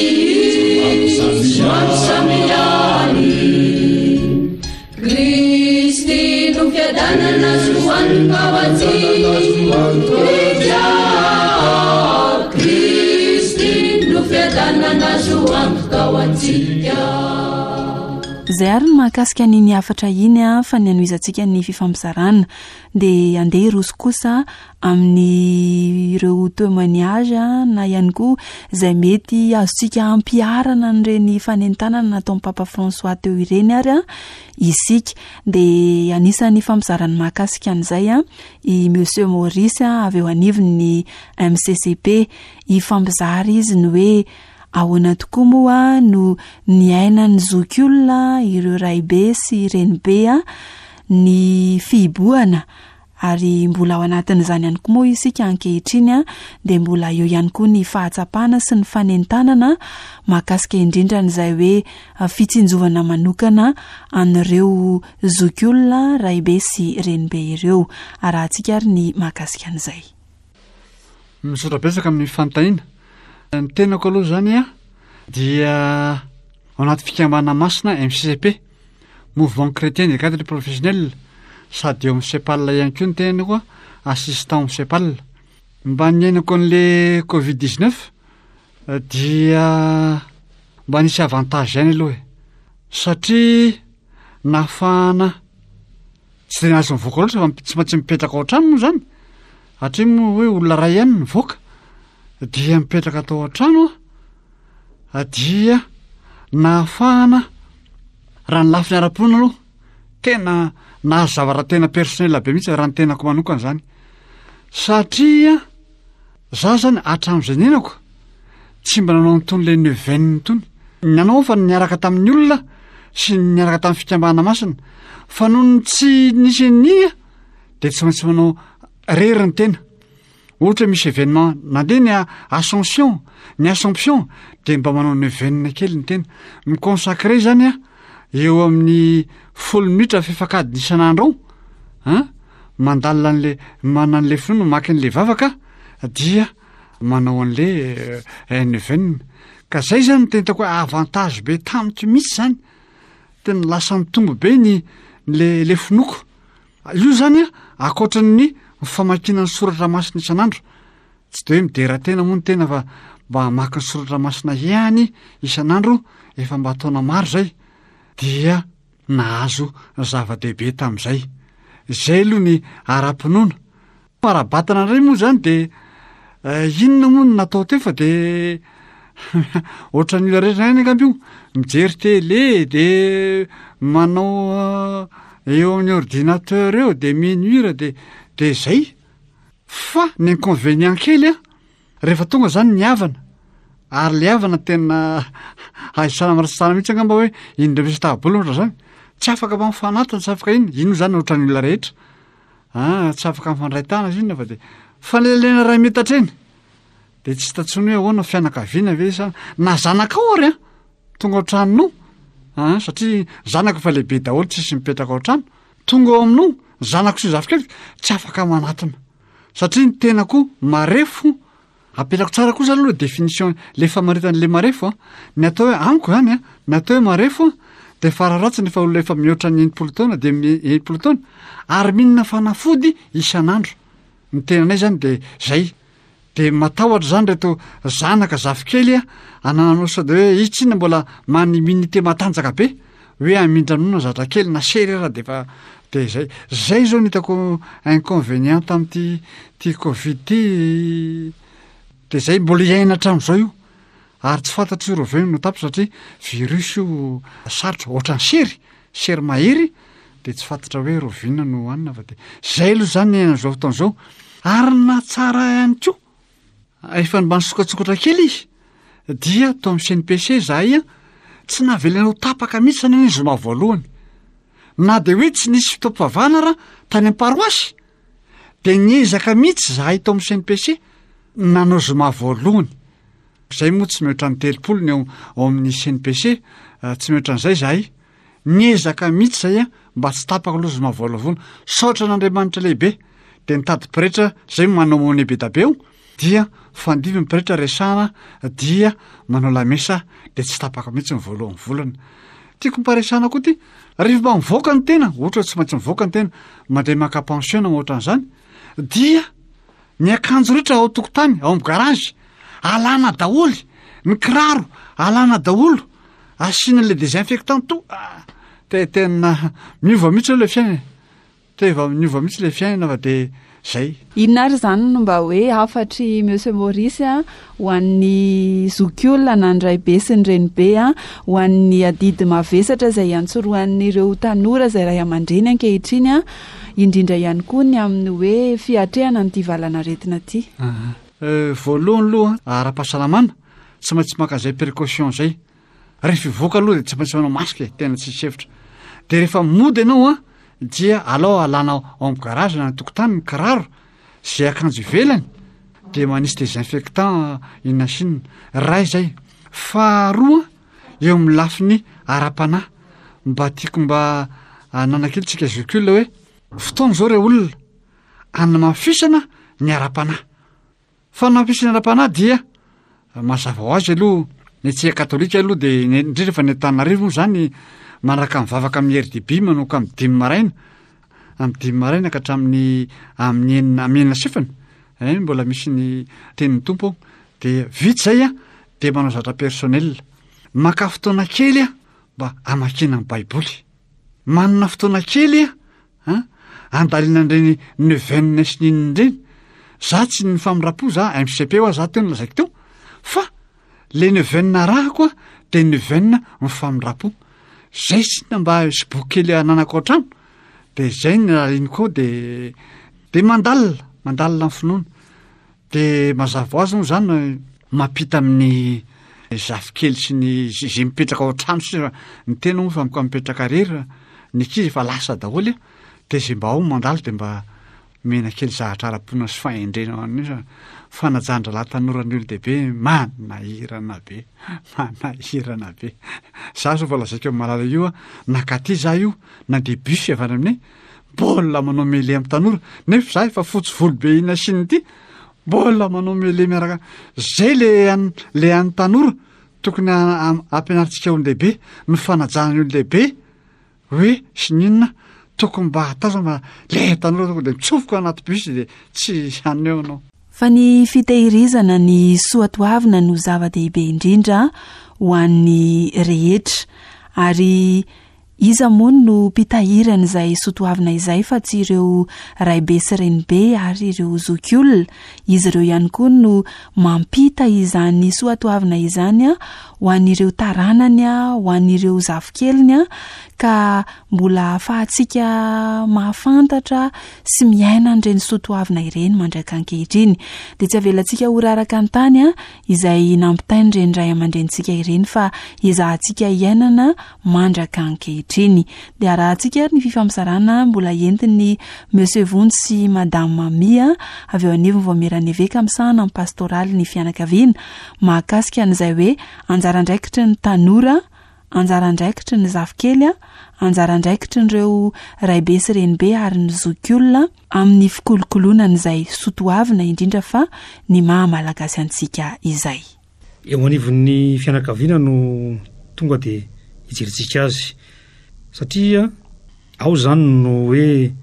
somary samy ihany. Kristy no fiadanana azo antoka ho antsika. Kristy no fiadanana azo antoka ho antsika. Izay ary ny mahakasika an'iny hafatra iny, fa ny hanohizantsika ny fifampizarana dia andeha hiroso kosa amin'ireo témoignage na ihany koa izay mety azontsika ampiharana an'ireny fanentanana nataon'ny Papa François teo ireny ary isika. Dia anisan'ny fampizarana mahakasika an'izay i Monsieur Maurice avy eo anivon'ny M C C P. Hifampizara izy ny hoe ahoana tokoa moa no niainan'ny zokiolona ireo raibe sy renibe ny fihibohana, ary mbola ao anatin'izany ihany koa moa isika ankehitriny, dia mbola eo ihany koa ny fahatsapana sy ny fanentanana mahakasika indrindra an'izay hoe fitsinjovana manokana an'ireo zokiolona raibe sy renibe ireo. Arahantsika ary ny mahakasika an'izay. Misaotra betsaka amin'ny fanontaniana. Ny tenako aloha zany a dia ao anaty fikambanana masina M C C P, Mouvement Chrétien des Cadres Professionnels, sady eo amin'ny CEPAL ihany koa ny tenako, assistant amin'ny CEPAL. Mba niainako an'le Covid dix-neuf dia mba nisy avantage ihany aloha e, satria nahafahana tsy de nahazo mivoaka loatra fa tsy maintsy mipetraka ao an-trano moa zany, satria moa hoe olona iray ihany mivoaka dia mipetraka tao an-trano a, dia nahafahana raha ny lafiny ara-pinoana aloha tena nahazo zavatra tena personnel be mihitsy raha ny tenako manokana zany, satria za zany hatramin'izay niainako tsy mba nanao an'itony le neuvaine itony. Nanao fa niaraka tamin'ny olona sy niaraka tamin'ny fikambanana masina, fa noho ny tsy nisy an'iny dia tsy maintsy manao rery ny tena. Ohatra misy événement nandeha ny Ascension, ny Assomption, dia mba manao neuvaine kely ny tena. Miconsacré zany a eo amin'ny folo minitra fefakadiny isan'andro ao, hein? Mandalina an'le, manana an'le finoana, mamaky an'le vavaka, dia manao an'le, eh, neuvaine. Ka zay zany no tena hitako hoe avantage be tamiko mihitsy zany. Tena lasa nitombo be ny le, le finoako. Io zany a, ankoatran'ny famakiana ny soratra masina isan'andro, tsy de hoe midera tena moa ny tena fa mba hamaky ny soratra masina ihany isan'andro, efa mba taona maro zay, dia nahazo zava-dehibe tamin'izay. Zay aloha ny ara-pinoana. Ara-batana indray moa zany de, eh, inona moa no natao teo fa de Ohatran'ny olona rehetra ihany angamba io, mijery télé de manao eo amin'ny ordinateur eo de mihaino hira de de zay. Fa ny inconvénient kely a, rehefa tonga zany ny havana, ary le havana tena ahisana miratsitsana mihitsy angamba hoe indreo misy tahabola ohatra zany, tsy afaka mba mifanatona, tsy afaka inona, ino zany ohatran'ny olona rehetra. Ah, tsy afaka mifandray tanana izy inona fa de fanelanelanana iray metatra eny. De tsy hita intsony hoe ahoana fianakaviana ve sa na zanakao ary a, tonga ao an-tranonao. Ah, satria zanako efa lehibe daholo, tsisy mipetraka ao an-trano. Tonga ao aminao, zanako sy zafikeliko, tsy afaka manatona. Satria ny tena koa marefo, apetrako tsara kosa aloha le définition, le famaritana le marefo a. Ny atao hoe amiko zany a, ny atao hoe marefo a, de fararatsiny efa olona efa mihoatra ny enimpolo taona, de mi-, enimpolo taona, ary mihinana fanafody isan'andro. Ny tenanay zany de zay. De matahotra zany reto zanaka zafikely a, anananao sao de hoe izy tsinona mbola manana immunité matanjaka be, hoe hamindra nono zatra kely na sery raha de efa de zay. Zay zao no hitako inconvénient tamin'ity ty Covid ty. De zay mbola iaina hatramin'izao io. Ary tsy fantatro io roveno no tapitra satria virus io sarotra ohatran'ny sery, sery mahery, de tsy fantatra hoe rovina no hohanina fa de zay aloha zany ny iainana izao fotoana izao. Ary na tsara ihany koa, efa mba nisokatsokatra kely izy, dia tao amin'ny C N P C zahay a, tsy navelana ho tapaka mihitsy zany ny zoma voalohany. Na de hoe tsy nisy fotoam-pivavahana raha tany amin'ny paroasy, de niezaka mihitsy zahay tao amin'ny C N P C nanao zoma voalohany. Zay moa tsy mihoatra ny telopolo ny ao, ao amin'ny C N P C, eh, tsy mihoatra an'izay zahay. Niezaka mihitsy zay a, mba tsy tapaka aloha zoma voalohany. Saotra an'Andriamanitra lehibe, de nitady pretra zay manao monnaie be da be eo, dia fandivy ny pretra resahana, dia manao lamesa, de tsy tapaka mihitsy ny voalohany volana. Tiako miparesahana koa ty, rehefa mba mivoaka ny tena, ohatra hoe tsy maintsy mivoaka ny tena, mandeha maka pension na ohatran'izany, dia ny akanjo rehetra ao an-tokotany, ao amin'ny garage, alana daholo, ny kiraro alana daholo, asiana le désinfectant to, ah, te-, tena miova mihitsy aloha le fiainana. Teva miova mihitsy le fiainana fa de zay. Inona ary zany no mba hoe hafatry Monsieur Maurice a, ho an'ny zokiolona na ny raibe sy ny renibe a, ho an'ny adidy mavesatra izay iantsorohan'ireo tanora izay ray aman-dreny ankehitriny a, indrindra ihany koa ny amin'ny hoe fiatrehana an'ity valanaretina ity. Aha. Eh, voalohany aloha, ara-pahasalamana, tsy maintsy maka izay précaution izay. Rehefa hivoaka aloha dia tsy maintsy manao masque e, tena tsisy hevitra. De rehefa mody ianao a, dia alao alana ao amin'ny garage na ny tokotany ny kiraro izay akanjo ivelany, de manisy désinfectant inona sy inona. Ray izay. Faharoa, eo amin'ny lafiny ara-panahy, mba tiako mba hanana kely tsika zokiolona hoe fotoana izao re olona hanamafisana ny ara-panahy. Fanamafisana ny ara-panahy dia mazava ho azy aloha, ny antsika katolika aloha de ny-, indrindra fa ny Antananarivo moa zany manaraka mivavaka amin'ny R D B manomboka amin'ny dimy maraina, amin'ny dimy maraina ka hatramin'ny amin'ny enina, amin'ny enina sefany, eh, mbola misy ny tenin'ny Tompo ao. De vita izay a, de manao zavatra personnel. Maka fotoana kely a, mba hamakiana ny Baiboly. Manana fotoana kely a, ha, andalinana ireny neuvaine sy ny inona ireny. Za tsy ny famindram-po, za M C P hoa, za teo no lazaiko teo. Fa le neuvaine arahako a, de neuvaine ny famindram-po. Zay sy ny mba sy boky kely ananako ao an-trano, de zay ny aliniko ao, de, de mandalina, mandalina ny finoana. De mazava ho azy moa zany mampita amin'ny zafikely sy ny zay, zay mipetraka ao an-trano sisa, ny tena moa fa miko-, mipetraka irery, ny ankizy efa lasa daholo, de zay mba ao mandalo de mba mena kely zahatra ara-pinoana sy fahendrena ho an'io, fanajan-drahalahy tanora ny olon-dehibe manahirana be, manahirana be. Za zao vao lazaiko amin'ny malala io a, nakaty za io, nandeha bus avy any aminay, mbola manao mêlée amin'ny tanora, nefa za efa fotsy volo be ina sy iny ity, mbola manao mêlée miaraka. Zay le an-, le an'ny tanora tokony a-, a-, ampianarintsika olon-dehibe, ny fanajana ny olon-dehibe, hoe sy ny inona, tokony mba atao zany mba le tanora tonga de mitsofoka anaty bus de tsy haneho anao. Fa ny fitehirizana ny soatoavina no zava-dehibe indrindra ho an'ny rehetra, ary Iza moa no mpitahiry an'izay soatoavina izay fa tsy ireo raibe sy renibe ary ireo zokiolona? Izy ireo ihany koa no mampita izany soatoavina izany ho an'ireo taranany, ho an'ireo zafikeliny, ka mbola ahafahantsika mahafantatra sy miaina an'ireny soatoavina ireny mandraka ankehitriny. Dia tsy avelantsika ho raraka an-tany izay nampitain'ireny ray aman-drenintsika ireny fa ezahantsika iainana mandraka ankehitriny. Dia arahantsika ary ny fifampizarana mbola entin'ny Monsieur Vonjy sy Madame Mamia avy eo anivon'ny Vaomieran'ny Eveka misahana amin'ny pastoraly ny fianakaviana mahakasika an'izay hoe anjara andraikitry ny tanora, anjara andraikitry ny zafikely, anjara andraikitrin'ireo raibe sy renibe ary ny zokiolona amin'ny fikolokoloana an'izay soatoavina, indrindra fa ny maha malagasy antsika izay. Eo anivon'ny fianakaviana no tonga dia hijerentsika azy, satria ao izany no hoe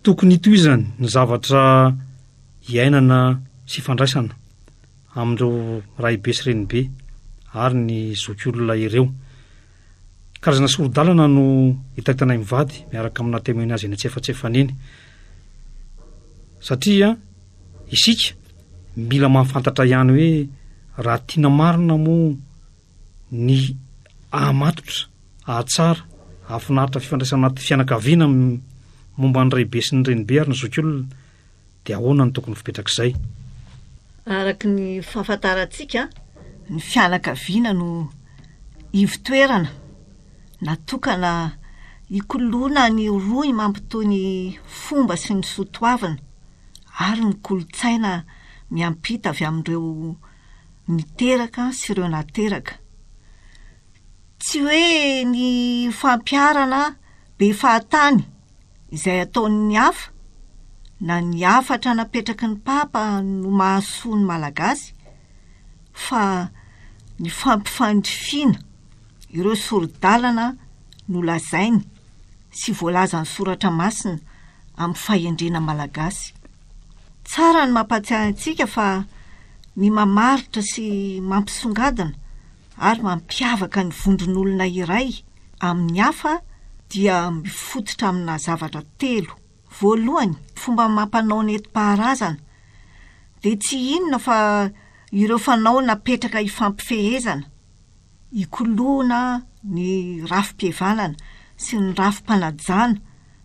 tokony hitohizany ny zavatra iainana sy ifandraisana amin'ireo raibe sy renibe ary ny zokiolona ireo. Karazana sori-dalana no hitahitanay mivady miaraka amina témoignage eny antsefatsefany eny, satria isika mila mahafantatra ihany hoe raha tiana marina moa ny ahamatotra, ahatsara, ahafinaritra fifandraisana anaty fianakaviana momba ny raibe sy ny renibe ary ny zokiolona, dia ahoana no tokony fipetrak'izay? Araka ny fahafantarantsika, ny fianakaviana no ivotoerana natokana hikoloana ny rohy mampitohy ny fomba sy ny soatoavina ary ny kolontsaina miampita avy amin'ireo niteraka sy ireo nateraka. Tsy hoe ny fampiharana be fahatany izay ataon'ny hafa na ny hafatra napetraky ny Papa no mahasoa ny Malagasy fa ny fampifandrifiana ireo sori-dalana nolazainy sy voalazan'ny soratra masina amin'ny fahendrena malagasy. Tsara ny mampahatsiahy antsika fa ny mamaritra sy mampisongadina ary mampiavaka ny vondron'olona iray amin'ny hafa dia mifototra amina zavatra telo. Voalohany, fomba mampanao nentim-paharazana dia tsy inona fa ireo fanao napetraka hifampifehezana, hikoloana ny rafi-pihavanana sy ny rafi-panajana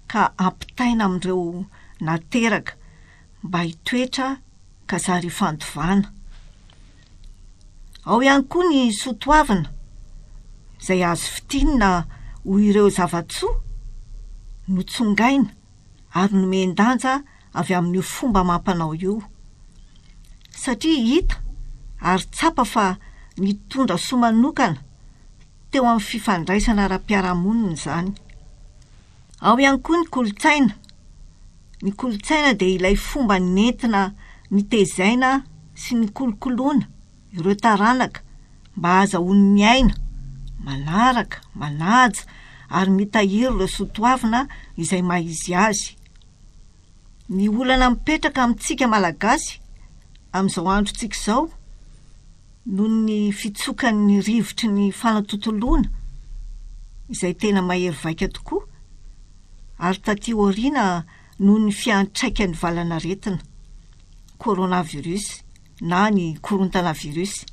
ka ampitaina amin'ireo nateraka mba hitoetra ka zary hifandovana. Ao ihany koa ny soatoavina izay azo fintinina ho ireo zava-tsoa notsongaina ary nomen-danja avy amin'io fomba amam-panao io, satria hita ary tsapa fa nitondra soa manokana teo amin'ny fifandraisana ara-piarahamonina izany. Ao ihany koa ny kolontsaina. Ny kolontsaina dia ilay fomba nentina nitezaina sy nikolokoloana ireo taranaka mba hahazahoany miaina, manaraka, manaja ary mitahiry ireo soatoavina izay maha izy azy. Ny olana mipetraka amintsika Malagasy amin'izao androntsika izao noho ny fitsokan'ny rivotry ny fanatontoloana izay tena mahery vaika tokoa ary taty aoriana noho ny fiantraikan'ny valanaretina coronavirus na ny korontana virus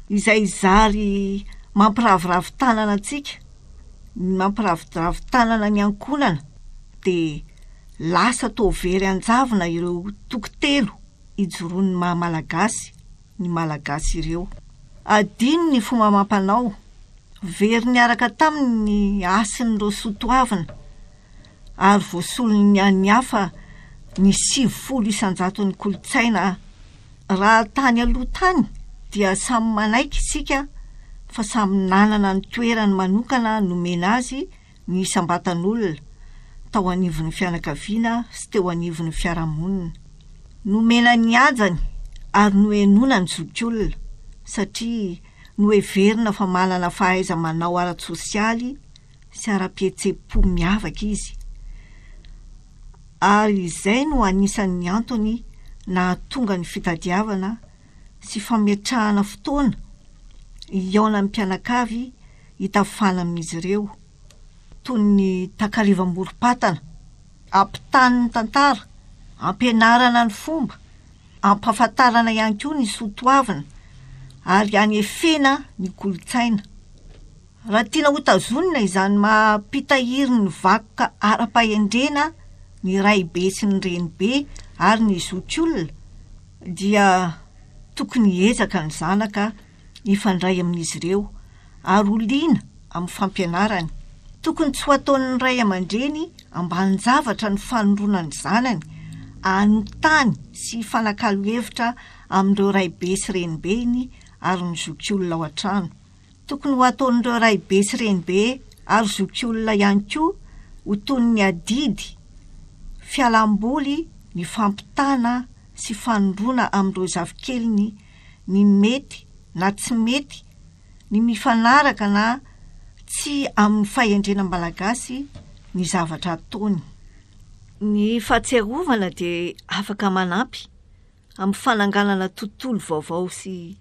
izay zary mampiraviravy tanana antsika, mampiraviravy tanana ny ankohonana, dia lasa toa very an-javona ireo toko telo ijoroan'ny maha Malagasy ny Malagasy ireo. Adino ny fomba amam-panao, very niaraka taminy ny hasin'ireo soatoavina ary voasolon'ny an'ny hafa ny sivifolo isan-jaton'ny kolontsaina. Raha tany aloha tany dia samy manaiky isika fa samy nanana ny toerany manokana nomena azy ny isam-batan'olona tao anivon'ny fianakaviana sy teo anivon'ny fiarahamonina. Nomena ny hajany ary nohenoina ny zokiolona satria noheverina fa manana fahaiza-manao ara-tsosialy sy ara-pihetseham-po miavaka izy, ary izay no anisan'ny antony nahatonga ny fitadiavana sy fametrahana fotoana hihaonan'ny mpianakavy hitafana amin'izy ireo. toy ny takariva amorom-patana, ampitany ny tantara, ampianarana ny fomba, ampahafantarana ihany koa ny soatoavina ary anefena ny kolontsaina. Raha tiana hotazonina izany maha mpitahiry ny vakoka ara-pahendrena ny raibe sy ny renibe ary ny zokiolona dia tokony hiezaka ny zanaka hifandray amin'izy ireo ary ho liana amin'ny fampianarany. Tokony tsy ho ataon'ny ray aman-dreny ambanin-javatra ny fanoroana ny zanany hanontany sy hifanakalo hevitra amin'ireo raibe sy renibeny ary ny zokiolona ao an-trano. Tokony ho ataon'ireo raibe sy renibe ary zokiolona ihany koa ho toy ny adidy, fialamboly ny fampitana sy fanoroana amin'ireo zafikeliny ny mety na tsy mety, ny mifanaraka na tsy amin'ny fahendrena malagasy ny zavatra ataony. Ny fahatsiarovana dia afaka manampy amin'ny fananganana tontolo vaovao sy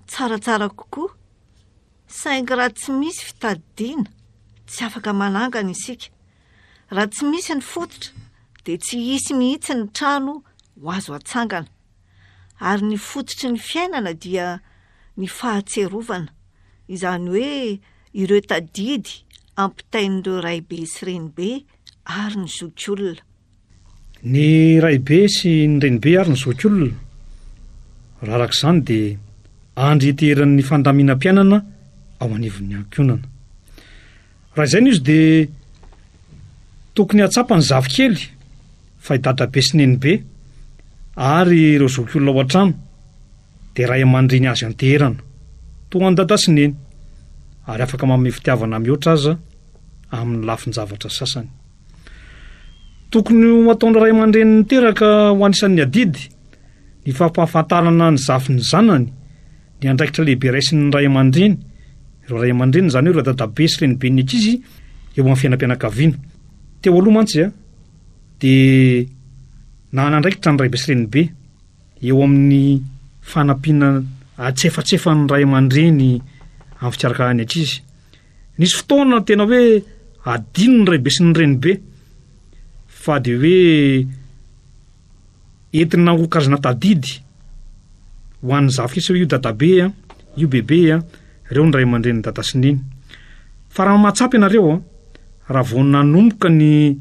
tsaratsara kokoa, saingy raha tsy misy fitadidiana, tsy afaka manangana isika. Raha tsy misy ny fototra dia tsy hisy mihitsy ny trano ho azo atsangana. Ary ny fototry ny fiainana dia ny fahatsiarovana, izany hoe ireo tadidy ampitain'ireo raibe sy renibe ary ny zokiolona. Ny raibe sy ny renibe ary ny zokiolona, raha araka izany dia andry iteheran'ny fandaminam-piainana ao anivon'ny ankohonana. Raha izay no izy dia tokony hahatsapa ny zafikely fa i dadabe sy nenibe ary ireo zokiolona ao an-trano dia ray aman-dreny azo ianteherana, toa an'i dada sy neny, ary afaka manome fitiavana mihoatra aza amin'ny lafin-javatra sasany. Tokony ho ataon'ny ray aman-dreny niteraka ho anisan'ny adidy ny fampahafantarana ny zafin'ny zanany ny andraikitra lehibe raisin'ny ray aman-dreny, ireo ray aman-dreny izany hoe ireo dadabe sy reniben'ny ankizy eo amin'ny fiainam-pianakaviana. Teo aloha mantsy a, dia nanana andraikitra ny raibe sy renibe eo amin'ny fanampiana atsefatsefan'ny ray aman-dreny amin'ny fikarakarana ny ankizy. Nisy fotoana tena hoe adino ny raibe sy ny renibe fa dia hoe entina ho karazana tadidy ho an'ny zafikely hoe io dadabe a, io bebe a, ireo ny ray aman-dreny dada sy neny. Fa raha mahatsapa ianareo a, raha vao nanomboka ny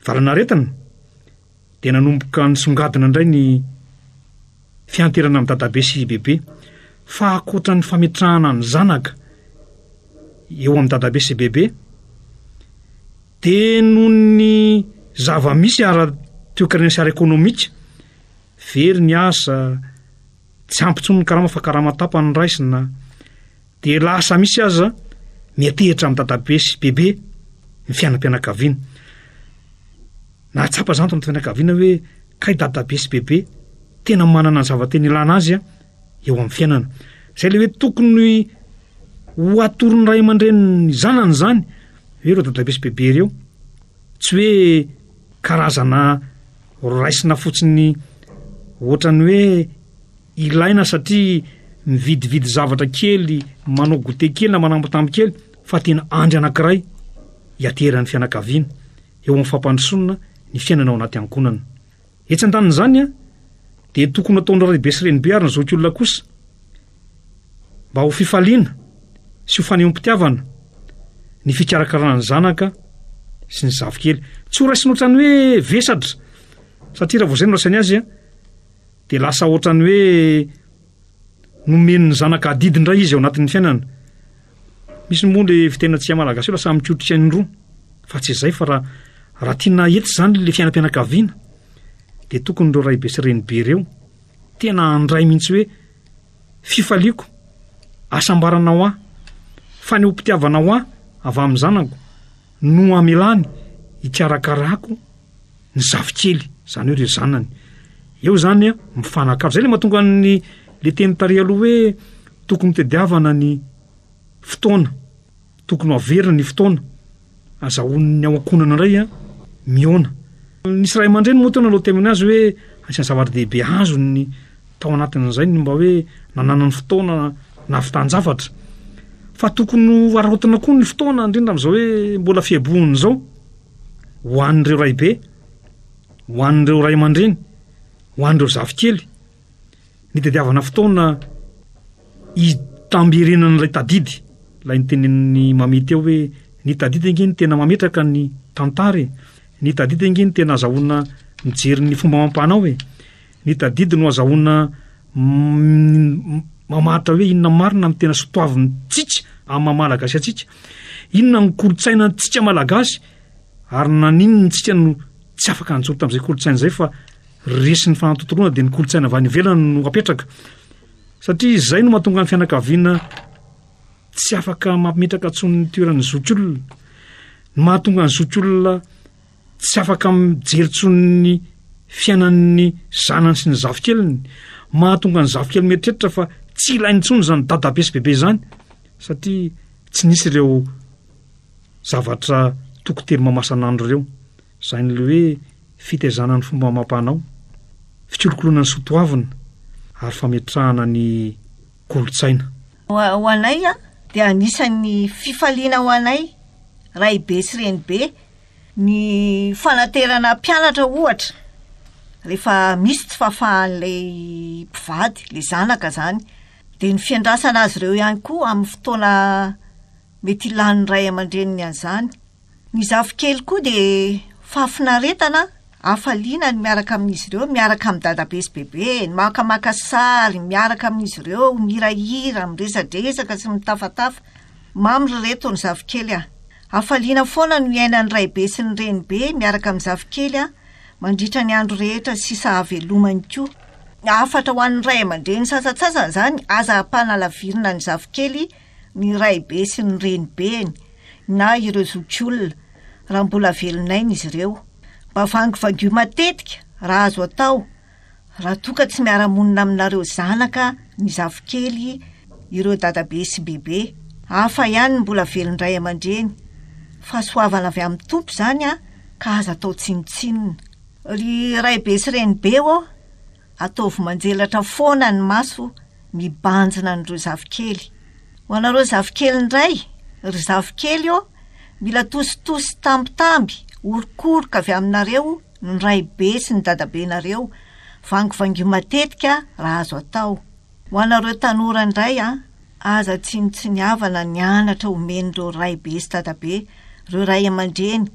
valanaretina dia nanomboka nisongadina indray ny fianterana amin'ny dadabe sy bebe. Fa ankoatra ny fametrahana ny zanaka eo amin'ny dadabe sy bebe dia noho ny zava-misy ara-toekarena sy ara-ekonomika, very ny asa, tsy ampy intsony ny karama fa karama tapany raisina, dia lasa misy aza miatehitra amin'ny dadabe sy bebe ny fiainam-pianakaviana. Nahatsapa izany tao amin'ny fianakaviana hoe kay dadabe sy bebe tena manana ny zava-tena ilana azy eo amin'ny fiainana. Izay ilay hoe tokony ho atoron'ny ray aman-dreny ny zanany izany, hoe ireo dadabe sy bebe ireo, tsy hoe karazana raisina fotsiny ohatran'ny hoe ilaina satria mividividy zavatra kely, manao goûter kely na manambitamby kely, fa tena andry anankiray hiateran'ny fianakaviana eo amin'ny fampandrosoana ny fiainana ao anaty ankohonana. Etsy andanin'izany dia tokony hataon'ny raibe sy renibe ary ny zokiolona kosa mba ho fifaliana sy ho fanehoam-pitiavana ny fikarakarana ny zanaka sy ny zafikely. Tsy ho raisina ohatran'ny hoe vesatra, satria raha vao izay no raisany azy dia lasa ohatran'ny hoe nomen'ny zanaka adidy indray izy ao anatin'ny fiainana. Misy moa le fitenantsika malagasy hoe lasa mikotrika ny roa, fa tsy izay fa raha raha tiana hety izany le fiainam-pianakaviana dia tokony ireo raibe sy renibe ireo tena handray mihitsy hoe fifaliako, hasambarana ho ahy, fanehoam-pitiavana ho ahy avy amin'ny zanako no hamelany hikarakarako ny zafikely, izany hoe ireo zanany. Eo izany mifanakalo. Izay ilay mahatonga ny le teny tary aloha hoe tokony tediavana ny fotoana, tokony ho averina ny fotoana azahoan'ny ao ankohonana indray a mihaona. Nisy ray aman-dreny moa teo nanao témoignage hoe anisan'ny zava-dehibe azony tao anatin'izay ny mba hoe nananany fotoana nahavitan-javatra. Fa tokony ho araraotina koa ny fotoana, indrindra amin'izao hoe mbola fiebohana izao, ho an'ireo raibe, ho an'ireo ray aman-dreny, ho an'ireo zafikely, nitadiavana fotoana hitamberenan'ilay tadidy, ilay nitenenin'i Mamy teo hoe ny tadidy ange no tena mametraka ny tantara e, ny tadidy ange no tena azahoana mijery ny fomba amam-panao e, ny tadidy no azahoana m-, mamaritra hoe inona marina no tena sotoavintsika amin'ny maha malagasy antsika, inona ny kolontsainantsika malagasy, ary naninona tsika no tsy afaka nijoro tamin'izay kolontsaina izay fa resin'ny fanatontoloana dia ny kolontsaina avy any ivelany no apetraka, satria izay no mahatonga ny fianakaviana tsy afaka mametraka intsony ny toeran'ny zokiolona, ny mahatonga ny zokiolona tsy afaka mijery intsony ny fiainan'ny zanany sy ny zafikeliny, mahatonga ny zafikely mieritreritra fa tsy ilainy intsony izany dadabe sy bebe izany, satria tsy nisy ireo zavatra toko telo mamasan'andro ireo, izany ilay hoe fitaizana ny fomba amam-panao, fikolokoloana ny soatoavina ary fametrahana ny kolontsaina. Ho a-, ho anay a, dia anisan'ny fifaliana ho anay raibe sy renibe ny fanaterana mpianatra ohatra rehefa misy tsy fahafahan'ilay mpivady, ilay zanaka izany, dia ny fiandrasana azy ireo ihany koa amin'ny fotoana mety hilan'ny ray aman-dreniny an'izany. Ny zafikely koa dia fahafinaretana, hafaliana ny miaraka amin'izy ireo, miaraka amin'ny dadabe sy bebe, ny makamaka sary, miaraka amin'izy ireo, mihirahira, miresadresaka sy mitafatafa. Mamy ry reto ny zafikely a. Hafaliana foana no iainan'ny raibe sy ny renibe miaraka amin'ny zafikely a, mandritra ny andro rehetra sisa havelomany koa. Hafatra ho an'ny ray aman-dreny sasantsasany izany, aza ampanalavirina ny zafikely ny raibe sy ny renibeny na ireo zokiolona raha mbola velon'aina izy ireo. Mba vangivangio matetika raha azo atao, raha toa ka tsy miara-monina aminareo zanaka ny zafikely ireo dadabe sy bebe. Hafa ihany ny mbola velon-dray aman-dreny. Fahasoavana avy amin'ny Tompo izany a, ka aza atao tsinontsinona. Ry raibe sy renibe ô, ataovy manjelatra foana ny maso mibanjina an'ireo zafikely. Ho anareo zafikely indray, ry zafikely ô, mila tositosy tambitamby, orokoroka avy aminareo ny raibe sy ny dadabenareo, vangivangio matetika raha azo atao. Ho anareo tanora indray a, aza tsinontsiniavana ny anatra omen'ireo raibe sy dadabe, ireo ray aman-dreny,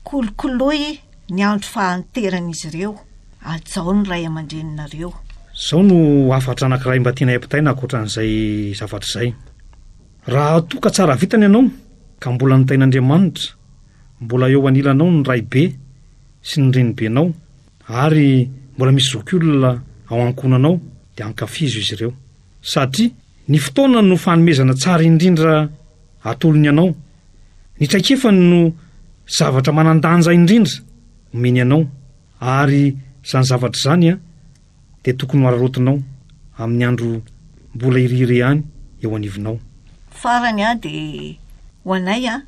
kolokoloy ny andro fahanteran'izy ireo, hajao ny ray aman-dreninareo. Izao no hafatra anankiray mba tianay ampitaina ankoatran'izay zavatra izay. Raha toa ka tsara vitana ianao, ka mbola notain'Andriamanitra, mbola eo anilanao ny raibe sy ny renibenao, ary mbola misy zokiolona ao ankohonanao, dia ankafizo izy ireo. Satria ny fotoana no fanomezana tsara indrindra atolony anao. Ny traikefany no zavatra manan-danja indrindra omeny anao, ary izany zavatra izany a, dia tokony ho araraotinao amin'ny andro mbola iriry ihany eo anivonao. Farany a, dia ho anay a,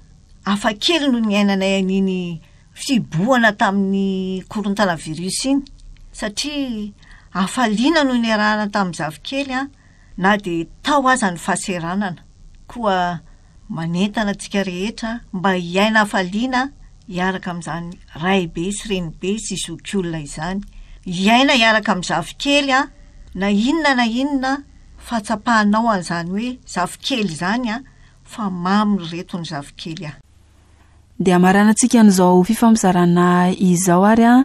hafa kely no niainanay an'iny fibohana tamin'ny korontana virus iny, satria hafaliana no niarahana tamin'ny zafikely a, na dia tao aza ny fahaseranana. Koa manentana antsika rehetra mba hiaina hafaliana hiaraka amin'izany raibe sy renibe sy zokiolona izany. Hiaina hiaraka amin'ny zafikely a, na inona na inona fahatsapahanao an'izany hoe zafikely izany a, fa mamy ry reto ny zafikely a. Dia hamaranantsika an'izao fifampizarana izao ary a,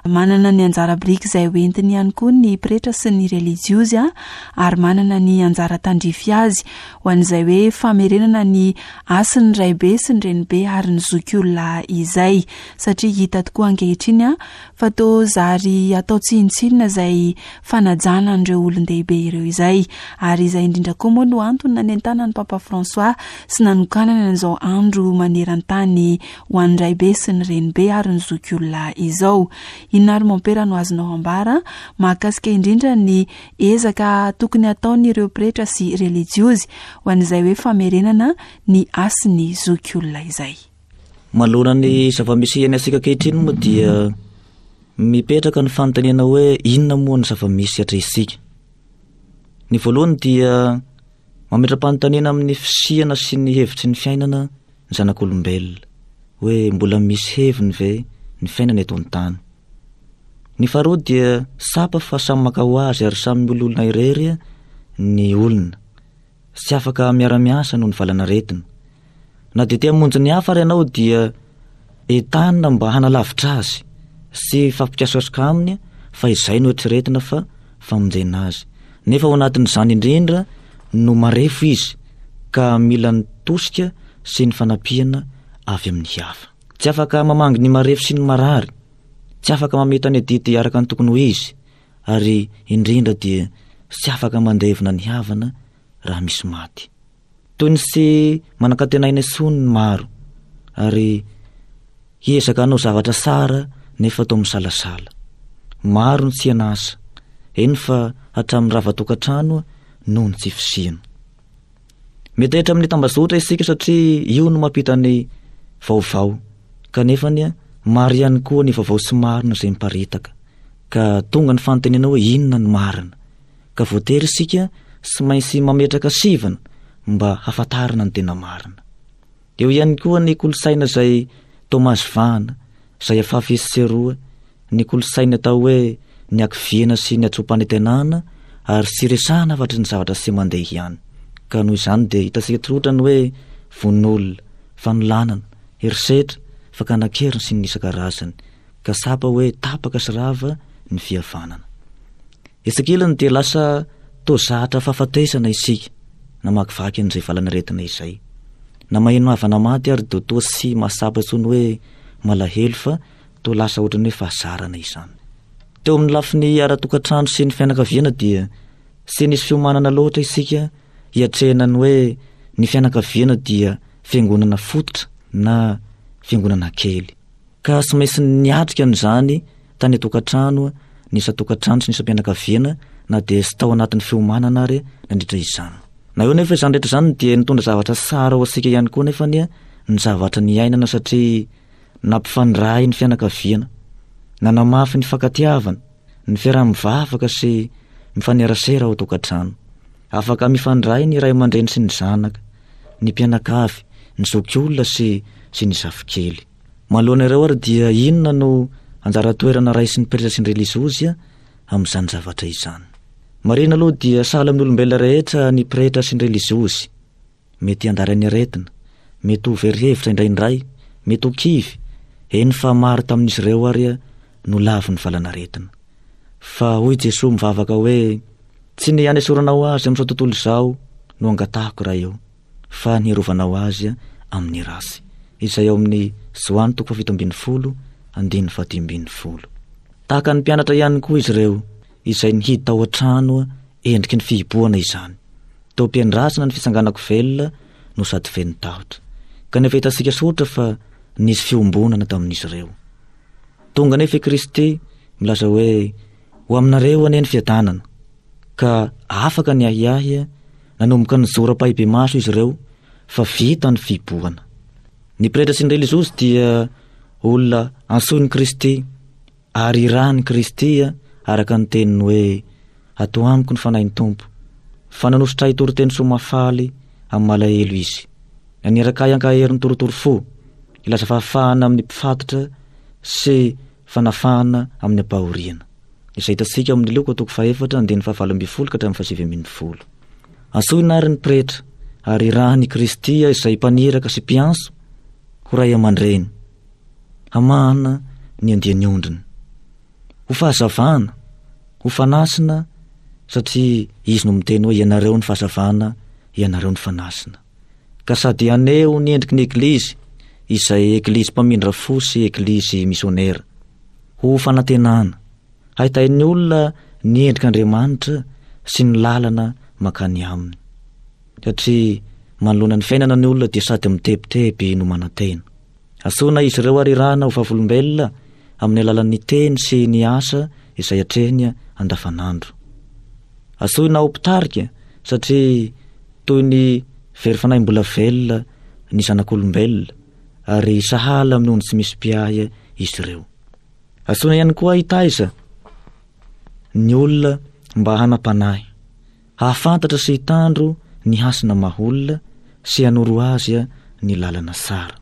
manana ny anjara biriky izay hoentiny ihany koa ny pretra sy ny relijiozy a, ary manana ny anjara tandrify azy ho an'izay hoe famerenana ny hasin'ny raibe sy ny renibe ary ny zokiolona izay, satria hita tokoa ankehitriny a fa toa zary atao tsinontsinona izay fanajana an'ireo olon-dehibe ireo izay, ary izay indrindra koa moa no antony nanentanan'ny Papa François sy nanokanana an'izao andro maneran-tany ho an'ny raibe sy ny renibe ary ny zokiolona izao. Inona ary mompera no azonao ambara mahakasika indrindra ny ezaka tokony hataon'ireo pretra sy relijiozy ho an'izay hoe famerenana ny hasin'ny zokiolona izay? Manoloana ny zava-misy iainantsika ankehitriny moa dia mipetraka ny fanontaniana hoe inona moa ny zava-misy atrehintsika. Ny voalohany dia Mametra-panontaniana amin'ny fisiana sy ny hevitry ny fiainana ny zanak'olombelona, hoe mbola misy heviny ve ny fiainana eto an-tany. Ny faharoa dia tsapa fa samy maka ho azy ary samy miololona irery ny olona. Tsy afaka miara-miasa noho ny valanaretina. Na dia te hamonjy ny hafa ary ianao dia entanina mba hanalavitra azy sy hifampikasokasoka aminy fa izay no eritreretina fa famonjena azy. Nefa ao anatin'izany indrindra no marefo izy ka mila ny tosika sy ny fanampiana avy amin'ny hafa. Tsy afaka mamangy ny marefo sy ny marary, tsy afaka mamita ny adidy araka ny tokony ho izy, ary indrindra dia tsy afaka mandevina ny havana raha misy maty. Toy ny tsy manan-kantenaina intsony ny maro, ary hiezaka hanao zavatra tsara nefa toa misalasala. Maro ny tsy an'asa, eny fa hatramin'ny rava tokantrano noho ny tsy fisiana. Metahitra amin'ny tambazotra isika satria io no mampita ny vaovao, kanefa anie maro ihany koa ny vaovao tsy marina izay miparitaka, ka tonga ny fanontaniana hoe inona no marina? Ka voatery isika tsy maintsy mametraka sivana mba hahafantarana ny tena marina. Eo ihany koa ny kolontsaina izay toa mahazo vahana, izay afafy etsy sy eroa, ny kolontsaina atao hoe ny hakiviana sy ny hatsoam-panantenana ary tsy resahana afa-tsy ny zavatra tsy mandeha ihany. Ka noho izany dia hitantsika tsotra ny hoe vononolona, fanolanana, herisetra, fakana an-keriny sy ny isan-karazany, ka tsapa hoe tapaka sy rava ny fihavanana. Etsy ankilany dia lasa toa zatra fahafatesana isika namakivaky an'izay valanaretina izay. Na maheno havana maty ary dia toa tsy mahatsapa intsony hoe malahelo fa toa lasa ohatran'ny hoe fahazarana izany. Teo amin'ny lafiny ara-tokantrano sy ny fianakaviana dia tsy nisy fiomanana loatra isika hiatrehana ny hoe ny fianakaviana dia fiangonana fototra na fiangonana kely. Ka tsy maintsy niatrika an'izany tany an-tokantrano, ny isan-tokantrano sy ny isam-pianakaviana na dia tsy tao anatin'ny fiomanana ary nandritra izany. Na eo nefa izany rehetra izany dia nitondra zavatra tsara ho antsika ihany koa nefa anie ny zavatra niainana satria nampifandray ny fianakaviana, nanamafy ny fankatiavana, ny fiaraha-mivavaka sy mifanerasera ao an-tokantrano. Afaka mifandray ny ray aman-dreny sy ny zanaka, ny mpianakavy, ny zokiolona sy sy ny zafikely. Manoloana ireo ary dia inona no anjara toerana raisin'ny pretra sy ny reliziozy amin'izany zavatra izany? Marihina aloha dia sahala amin'ny olombelona rehetra ny pretra sy ny reliziozy. Mety handary ny aretina, mety ho very hevitra indraindray, mety ho kivy, eny fa maro tamin'izy ireo ary no lavin'ny valanaretina. Fa hoy Jesoa mivavaka hoe, Tsy ny hanesoranao azy amin'izao tontolo izao no angatahako Ray ô, fa ny hirovanao azy amin'ny ratsy. Izay ao amin'ny Joany toko fahafito ambin'ny folo, andininy fahadimy ambin'ny folo. Tahaka ny mpianatra ihany koa izy ireo, izay nihidy tao an-trano endriky ny fihibohana izany. Teo am-piandrasana ny fitsanganako velona no sady feno tahotra. Kanefa hitantsika soritra fa nisy fiombonana tamin'izy ireo. Tonga anefa i Kristy milaza hoe, Ho aminareo anie ny fiadanana. Ka afaka ny ahiahy, nanomboka nijoro ampahibemaso izy ireo fa vita ny fihibohana. Ny pretra sy ny reliziozy dia olona antsoin'i Kristy ary irahin'i Kristy araka ny teniny hoe, Ato amiko ny Fanahin'ny Tompo, fa nanosotra ahy hitory teny soa mahafaly amin'ny malahelo Izy. Naniraka ahy hankahery ny torotoro fo, hilaza fahafahana amin'ny mpifatotra sy fanafahana amin'ny ampahoriana. Izay hitantsika ao amin'ny Lioka toko fahefatra andininy fahavalo ambin'ny folo ka hatramin'ny fahasivy ambin'ny folo. Antsoina àry ny pretra, ary irahin'i Kristy izay mpaniraka sy mpiantso ho ray aman-dreny, hamahana ny andian'ny ondriny. Ho fahazavana, ho fanasina, satria izy no miteny hoe ianareo ny fahazavana, ianareo ny fanasina. Ka sady haneho ny endriky ny Eglizy, izay Eglizy mpamindra fo sy Eglizy misionera. Ho fanantenana, hahitain'ny olona ny endrik'Andriamanitra sy ny lalana mankany aminy. Satria manoloana ny fiainana ny olona dia sady mitebiteby no manantena. Antsoina izy ireo ary irahina ho vavolombelona amin'ny alalan'ny teny sy ny asa izay atrehiny andavanandro. Antsoina ho mpitarika satria toy ny very fanahy mbola velona ny zanak'olombelona ary sahala amin'ny ondry tsy misy mpiahy izy ireo. Antsoina ihany koa hitaiza ny olona mba hanam-panahy, hahafantatra sy hitandro ny hasina maha olona sy hanoro azy ny lalana tsara.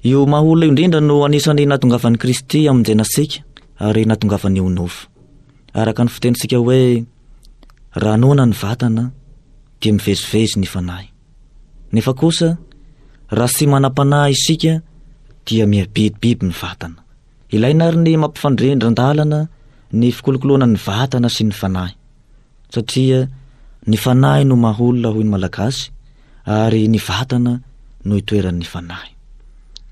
Io maha olona io indrindra no anisan'ny nahatongavan'i Kristy hamonjena antsika ary nahatongavany ho nofo. Araka ny fitenintsika hoe raha noana ny vatana dia mivezivezy ny fanahy. Nefa kosa raha tsy manam-panahy isika dia mihabibibiby ny vatana. Ilaina ary ny mampifandrindran-dalana ny fikolokoloana ny vatana sy ny fanahy. Satria ny fanahy no maha olona hoy ny Malagasy ary ny vatana no itoeran'ny fanahy.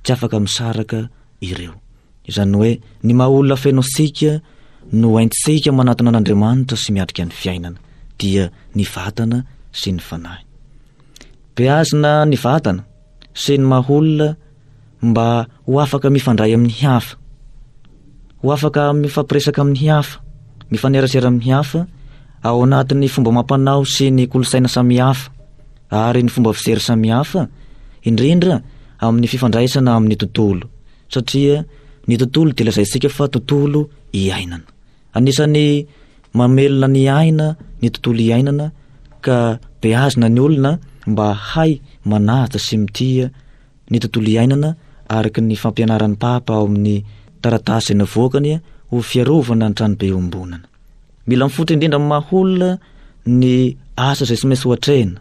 Tsy afaka misaraka ireo. Izany hoe ny maha olona feno antsika no haintsika manatona an'Andriamanitra sy miatrika ny fiainana, dia ny vatana sy ny fanahy. Beazina ny vatana sy ny maha olona mba ho afaka mifandray amin'ny hafa, ho afaka mifampiresaka amin'ny hafa, mifanerasera amin'ny hafa ao anatin'ny fomba amam-panao sy ny kolontsaina samihafa ary ny fomba fijery samihafa, indrindra amin'ny fifandraisana amin'ny tontolo, satria ny tontolo dia lazaintsika fa tontolo iainana. Anisan'ny mamelona ny aina ny tontolo iainana ka beazina ny olona mba hay manaja sy mitia ny tontolo iainana araka ny fampianaran'ny Papa ao amin'ny taratasy izay navoakany ho fiarovana ny tranobe iombonana. Mila mifototra indrindra amin'ny maha olona ny asa izay tsy maintsy ho atrehina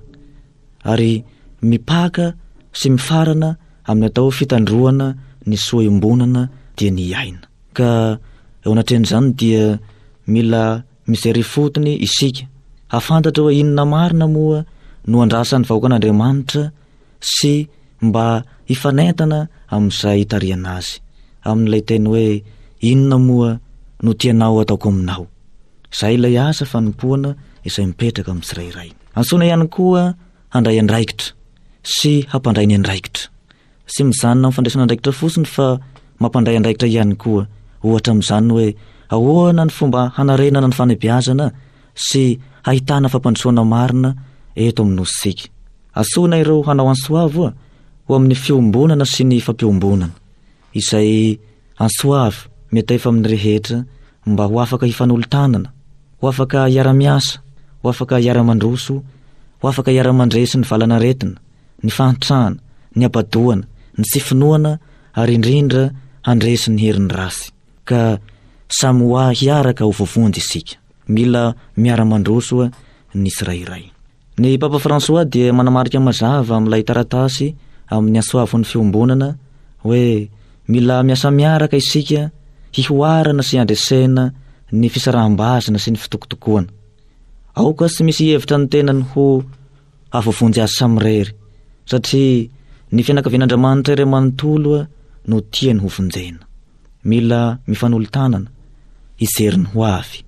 ary mipaka sy mifarana amin'ny atao fitandroana ny soa iombonana dia ny aina. Ka eo anatrehan'izany dia mila mijery ifotony isika hahafantatra hoe inona marina moa no andrasan'ny vahoakan'Andriamanitra sy mba hifanentana amin'izay hitarihana azy, amin'ilay teny hoe inona moa no tianao ataoko aminao. Izay ilay asa fanompoana izay mipetraka amin'ny tsirairay. Antsoina ihany koa handray andraikitra sy hampandray ny andraikitra. Tsy mijanona amin'ny fandraisana andraikitra fotsiny fa mampandray andraikitra ihany koa. Ohatra amin'izany hoe ahoana ny fomba hanarenana ny fanabeazana sy hahitana fampandrosoana marina eto amin'ny nosintsika. Antsoina ireo hanao antsoavo ho amin'ny fiombonana sy ny fampiombonana, izay antsoavo miantefa amin'ny rehetra mba ho afaka hifanolo-tanana, ho afaka hiara-miasa, ho afaka hiara-mandroso, ho afaka hiara-mandresy ny valanaretina, ny fahantrana, ny habadoana, ny tsy finoana ary indrindra handresy ny herin'ny ratsy. Ka samy ho hiaraka ho voavonjy isika. Mila miara-mandroso ny tsirairay. Ny Papa François dia manamarika mazava amin'ilay taratasy amin'ny antsoavon'ny fiombonana hoe mila miasa miaraka isika hihoarana sy handresena ny fisaraham-bazana sy ny fitokotokoana. Aoka tsy misy hevitra ny tenany ho havoavonjy azy samirery, satria ny fianakavian'Andriamanitra iray manontolo no tiany ho vonjena. Mila mifanolo-tanana hijery ny ho avy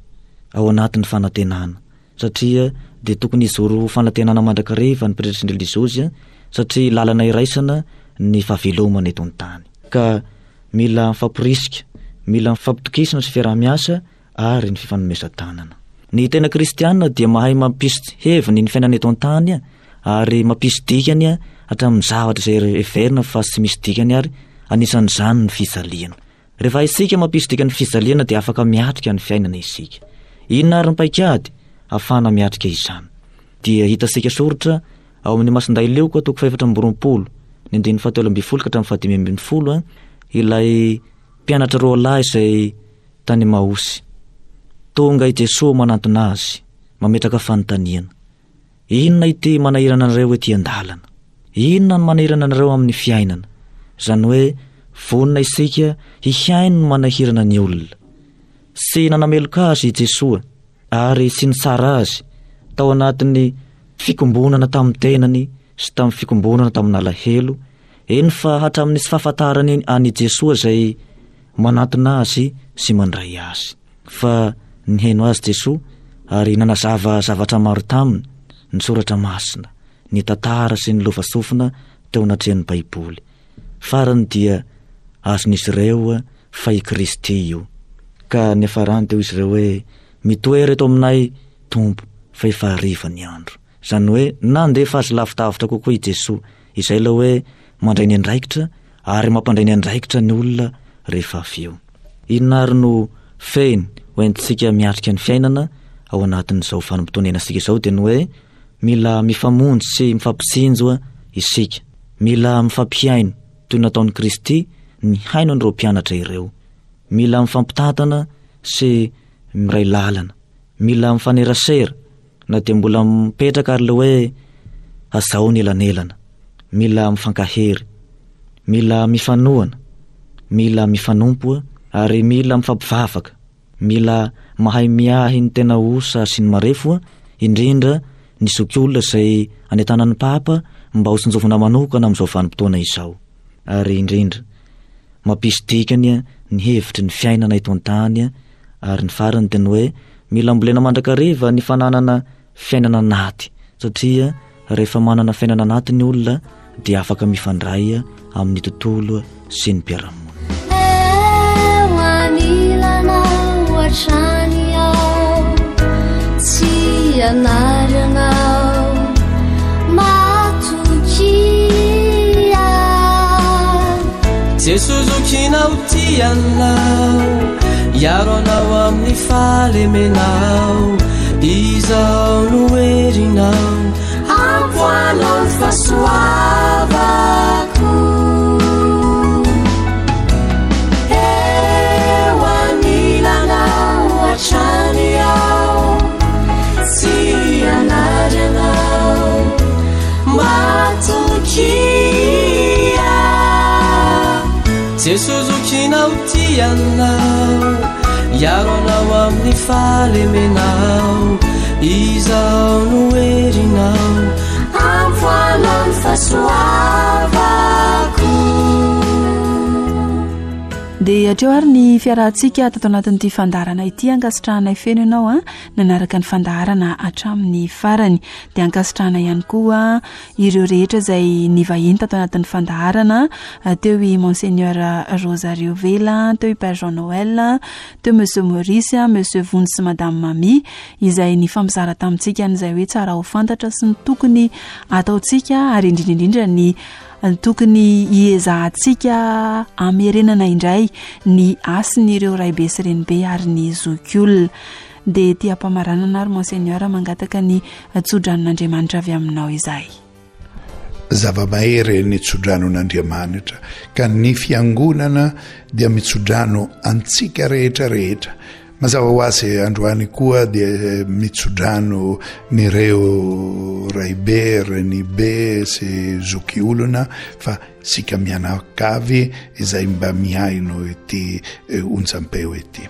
ao anatin'ny fanantenana, satria dia tokony hijoro ho fanantenana mandrakariva ny pretra sy ny reliziozy, satria lalana iraisana ny fahavelomana eto an-tany. Ka mila mifampirisika, mila mifampitokisana sy fiaraha-miasa ary ny fifanomezan-tanana. Ny tena kristiana dia mahay mampisy heviny ny fiainana eto an-tany ary mampisy dikany hatramin'ny zavatra izay heverina fa tsy misy dikany ary anisan'izany ny fijaliana. Rehefa isika mampisy dikany fijaliana dia afaka miatrika ny fiainana isika. Inona ary ny paikady ahafahana miatrika izany? Dia hitantsika soritra ao amin'ny Masindahy Lioka toko fahefatra amby roapolo, ny andininy fahatelo ambin'ny folo ka hatramin'ny fahadimy ambin'ny folo, ilay mpianatra roa lahy izay tany Emaosy. Tonga i Jesoa manantona azy, mametraka fanontaniana. Inona ity manahirana anareo ety an-dalana? Inona no manahirana anareo amin'ny fiainana? Izany hoe vonona isika hihaino ny manahirana ny olona. Tsy nanameloka azy i Jesoa ary tsy nitsara azy tao anatin'ny fikombonana tamin'ny tenany sy tamin'ny fikombonana tamin'alahelo, eny fa hatramin'ny tsy fahafantarany an'i Jesoa izay manantona azy sy mandray azy. Fa nihaino azy Jesoa ary nanazava zavatra maro taminy, ny soratra masina, ny tantara sy ny lovasofina teo anatrehan'ny Baiboly. Farany dia azon'izy ireo fa i Kristy io. Ka niafarany teo izy ireo hoe mitoera eto aminay Tompo fa efa hariva ny andro. Izany hoe nandefa azy lavidavitra kokoa i Jesoa, izay ilay hoe mandray ny andraikitra ary mampandray ny andraikitra ny olona rehefa avy eo. Inona ary no fehiny hoentintsika miatrika ny fiainana ao anatin'izao vanim-potoana iainantsika izao? Dia ny hoe Mila mifamonjy sy mifampitsinjo isika. Mila mifampihaino toy ny nataon'i Kristy nihaino an'ireo mpianatra ireo. Mila mifampitantana sy miray lalana. Mila mifanerasera na dia mbola mipetraka ary le hoe azao ny elanelana. Mila mifankahery. Mila mifanohana. Mila mifanompo ary mila mifampivavaka. Mila mahay miahy ny tena osa sy ny marefo, indrindra ny zokiolona izay anentanan'ny Papa mba ho tsinjovina manokana amin'izao vanim-potoana izao. Ary indrindra mampisy dikany ny hevitry ny fiainana eto an-tany, ary ny farany dia ny hoe mila ambolena mandrakariva ny fananana fiainana anaty, satria rehefa manana fiainana anaty ny olona dia afaka mifandray amin'ny tontolo sy ny mpiara-monina. Eo anilanao hatrany aho, tsy hanary anao, matokia. Jesoa zokinao tia anao, hiaro anao amin'ny fahalemenao, izao no herinao, ampoanao ny fahasoavako. Eo anilanao hatrany aho, tsy hanary anao, matokia. Jesoa zokinao tia anao, hiaro anao amin'ny fahalemenao, izao no herinao, ampoanao ny fahasoavako. Dia hatreo ary ny fiarahantsika tato anatin'ity fandaharana ity. Ankasitrahanay feno ianao a nanaraka ny fandaharana hatramin'ny farany. Dia ankasitrahana ihany koa ireo rehetra izay nivahiny tato anatin'ny fandaharana. Teo i Monseigneur Rosario Vela, teo i Père Jean Noël, teo Monsieur Maurice, Monsieur Vonjy sy Madame Mamy, izay nifampizara tamintsika an'izay hoe tsara ho fantatra sy ny tokony ataontsika, ary indrindra indrindra ny tokony hiezahantsika hamerenana indray ny hasin'ireo raibe sy renibe ary ny zokiolona. Dia tia ampamaranana ary Monseigneur mangataka ny tsodranon'Andriamanitra avy aminao izahay. Zava-mahery ny tsodranon'Andriamanitra, ka ny fiangonana dia mitsodrano antsika rehetra rehetra. Mazava ho azy androany koa dia mitsodrano nireo raibe, renibe sy zokiolona, fa sika mianakavy izay mba mihaino ity onjampeo ity.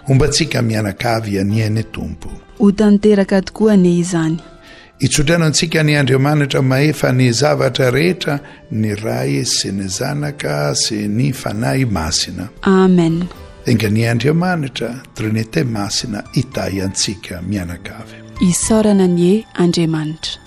Hombantsika mianakavy anie ny Tompo. Ho tanteraka tokoa anie izany. Hitsodrano antsika ny Andriamanitra mahefa ny zavatra rehetra, ny Ray sy ny Zanaka sy ny Fanahy Masina. Amen. Enga ny Andriamanitra, Trinite Masina, hitahy antsika mianakavy. Isaorana anie Andriamanitra.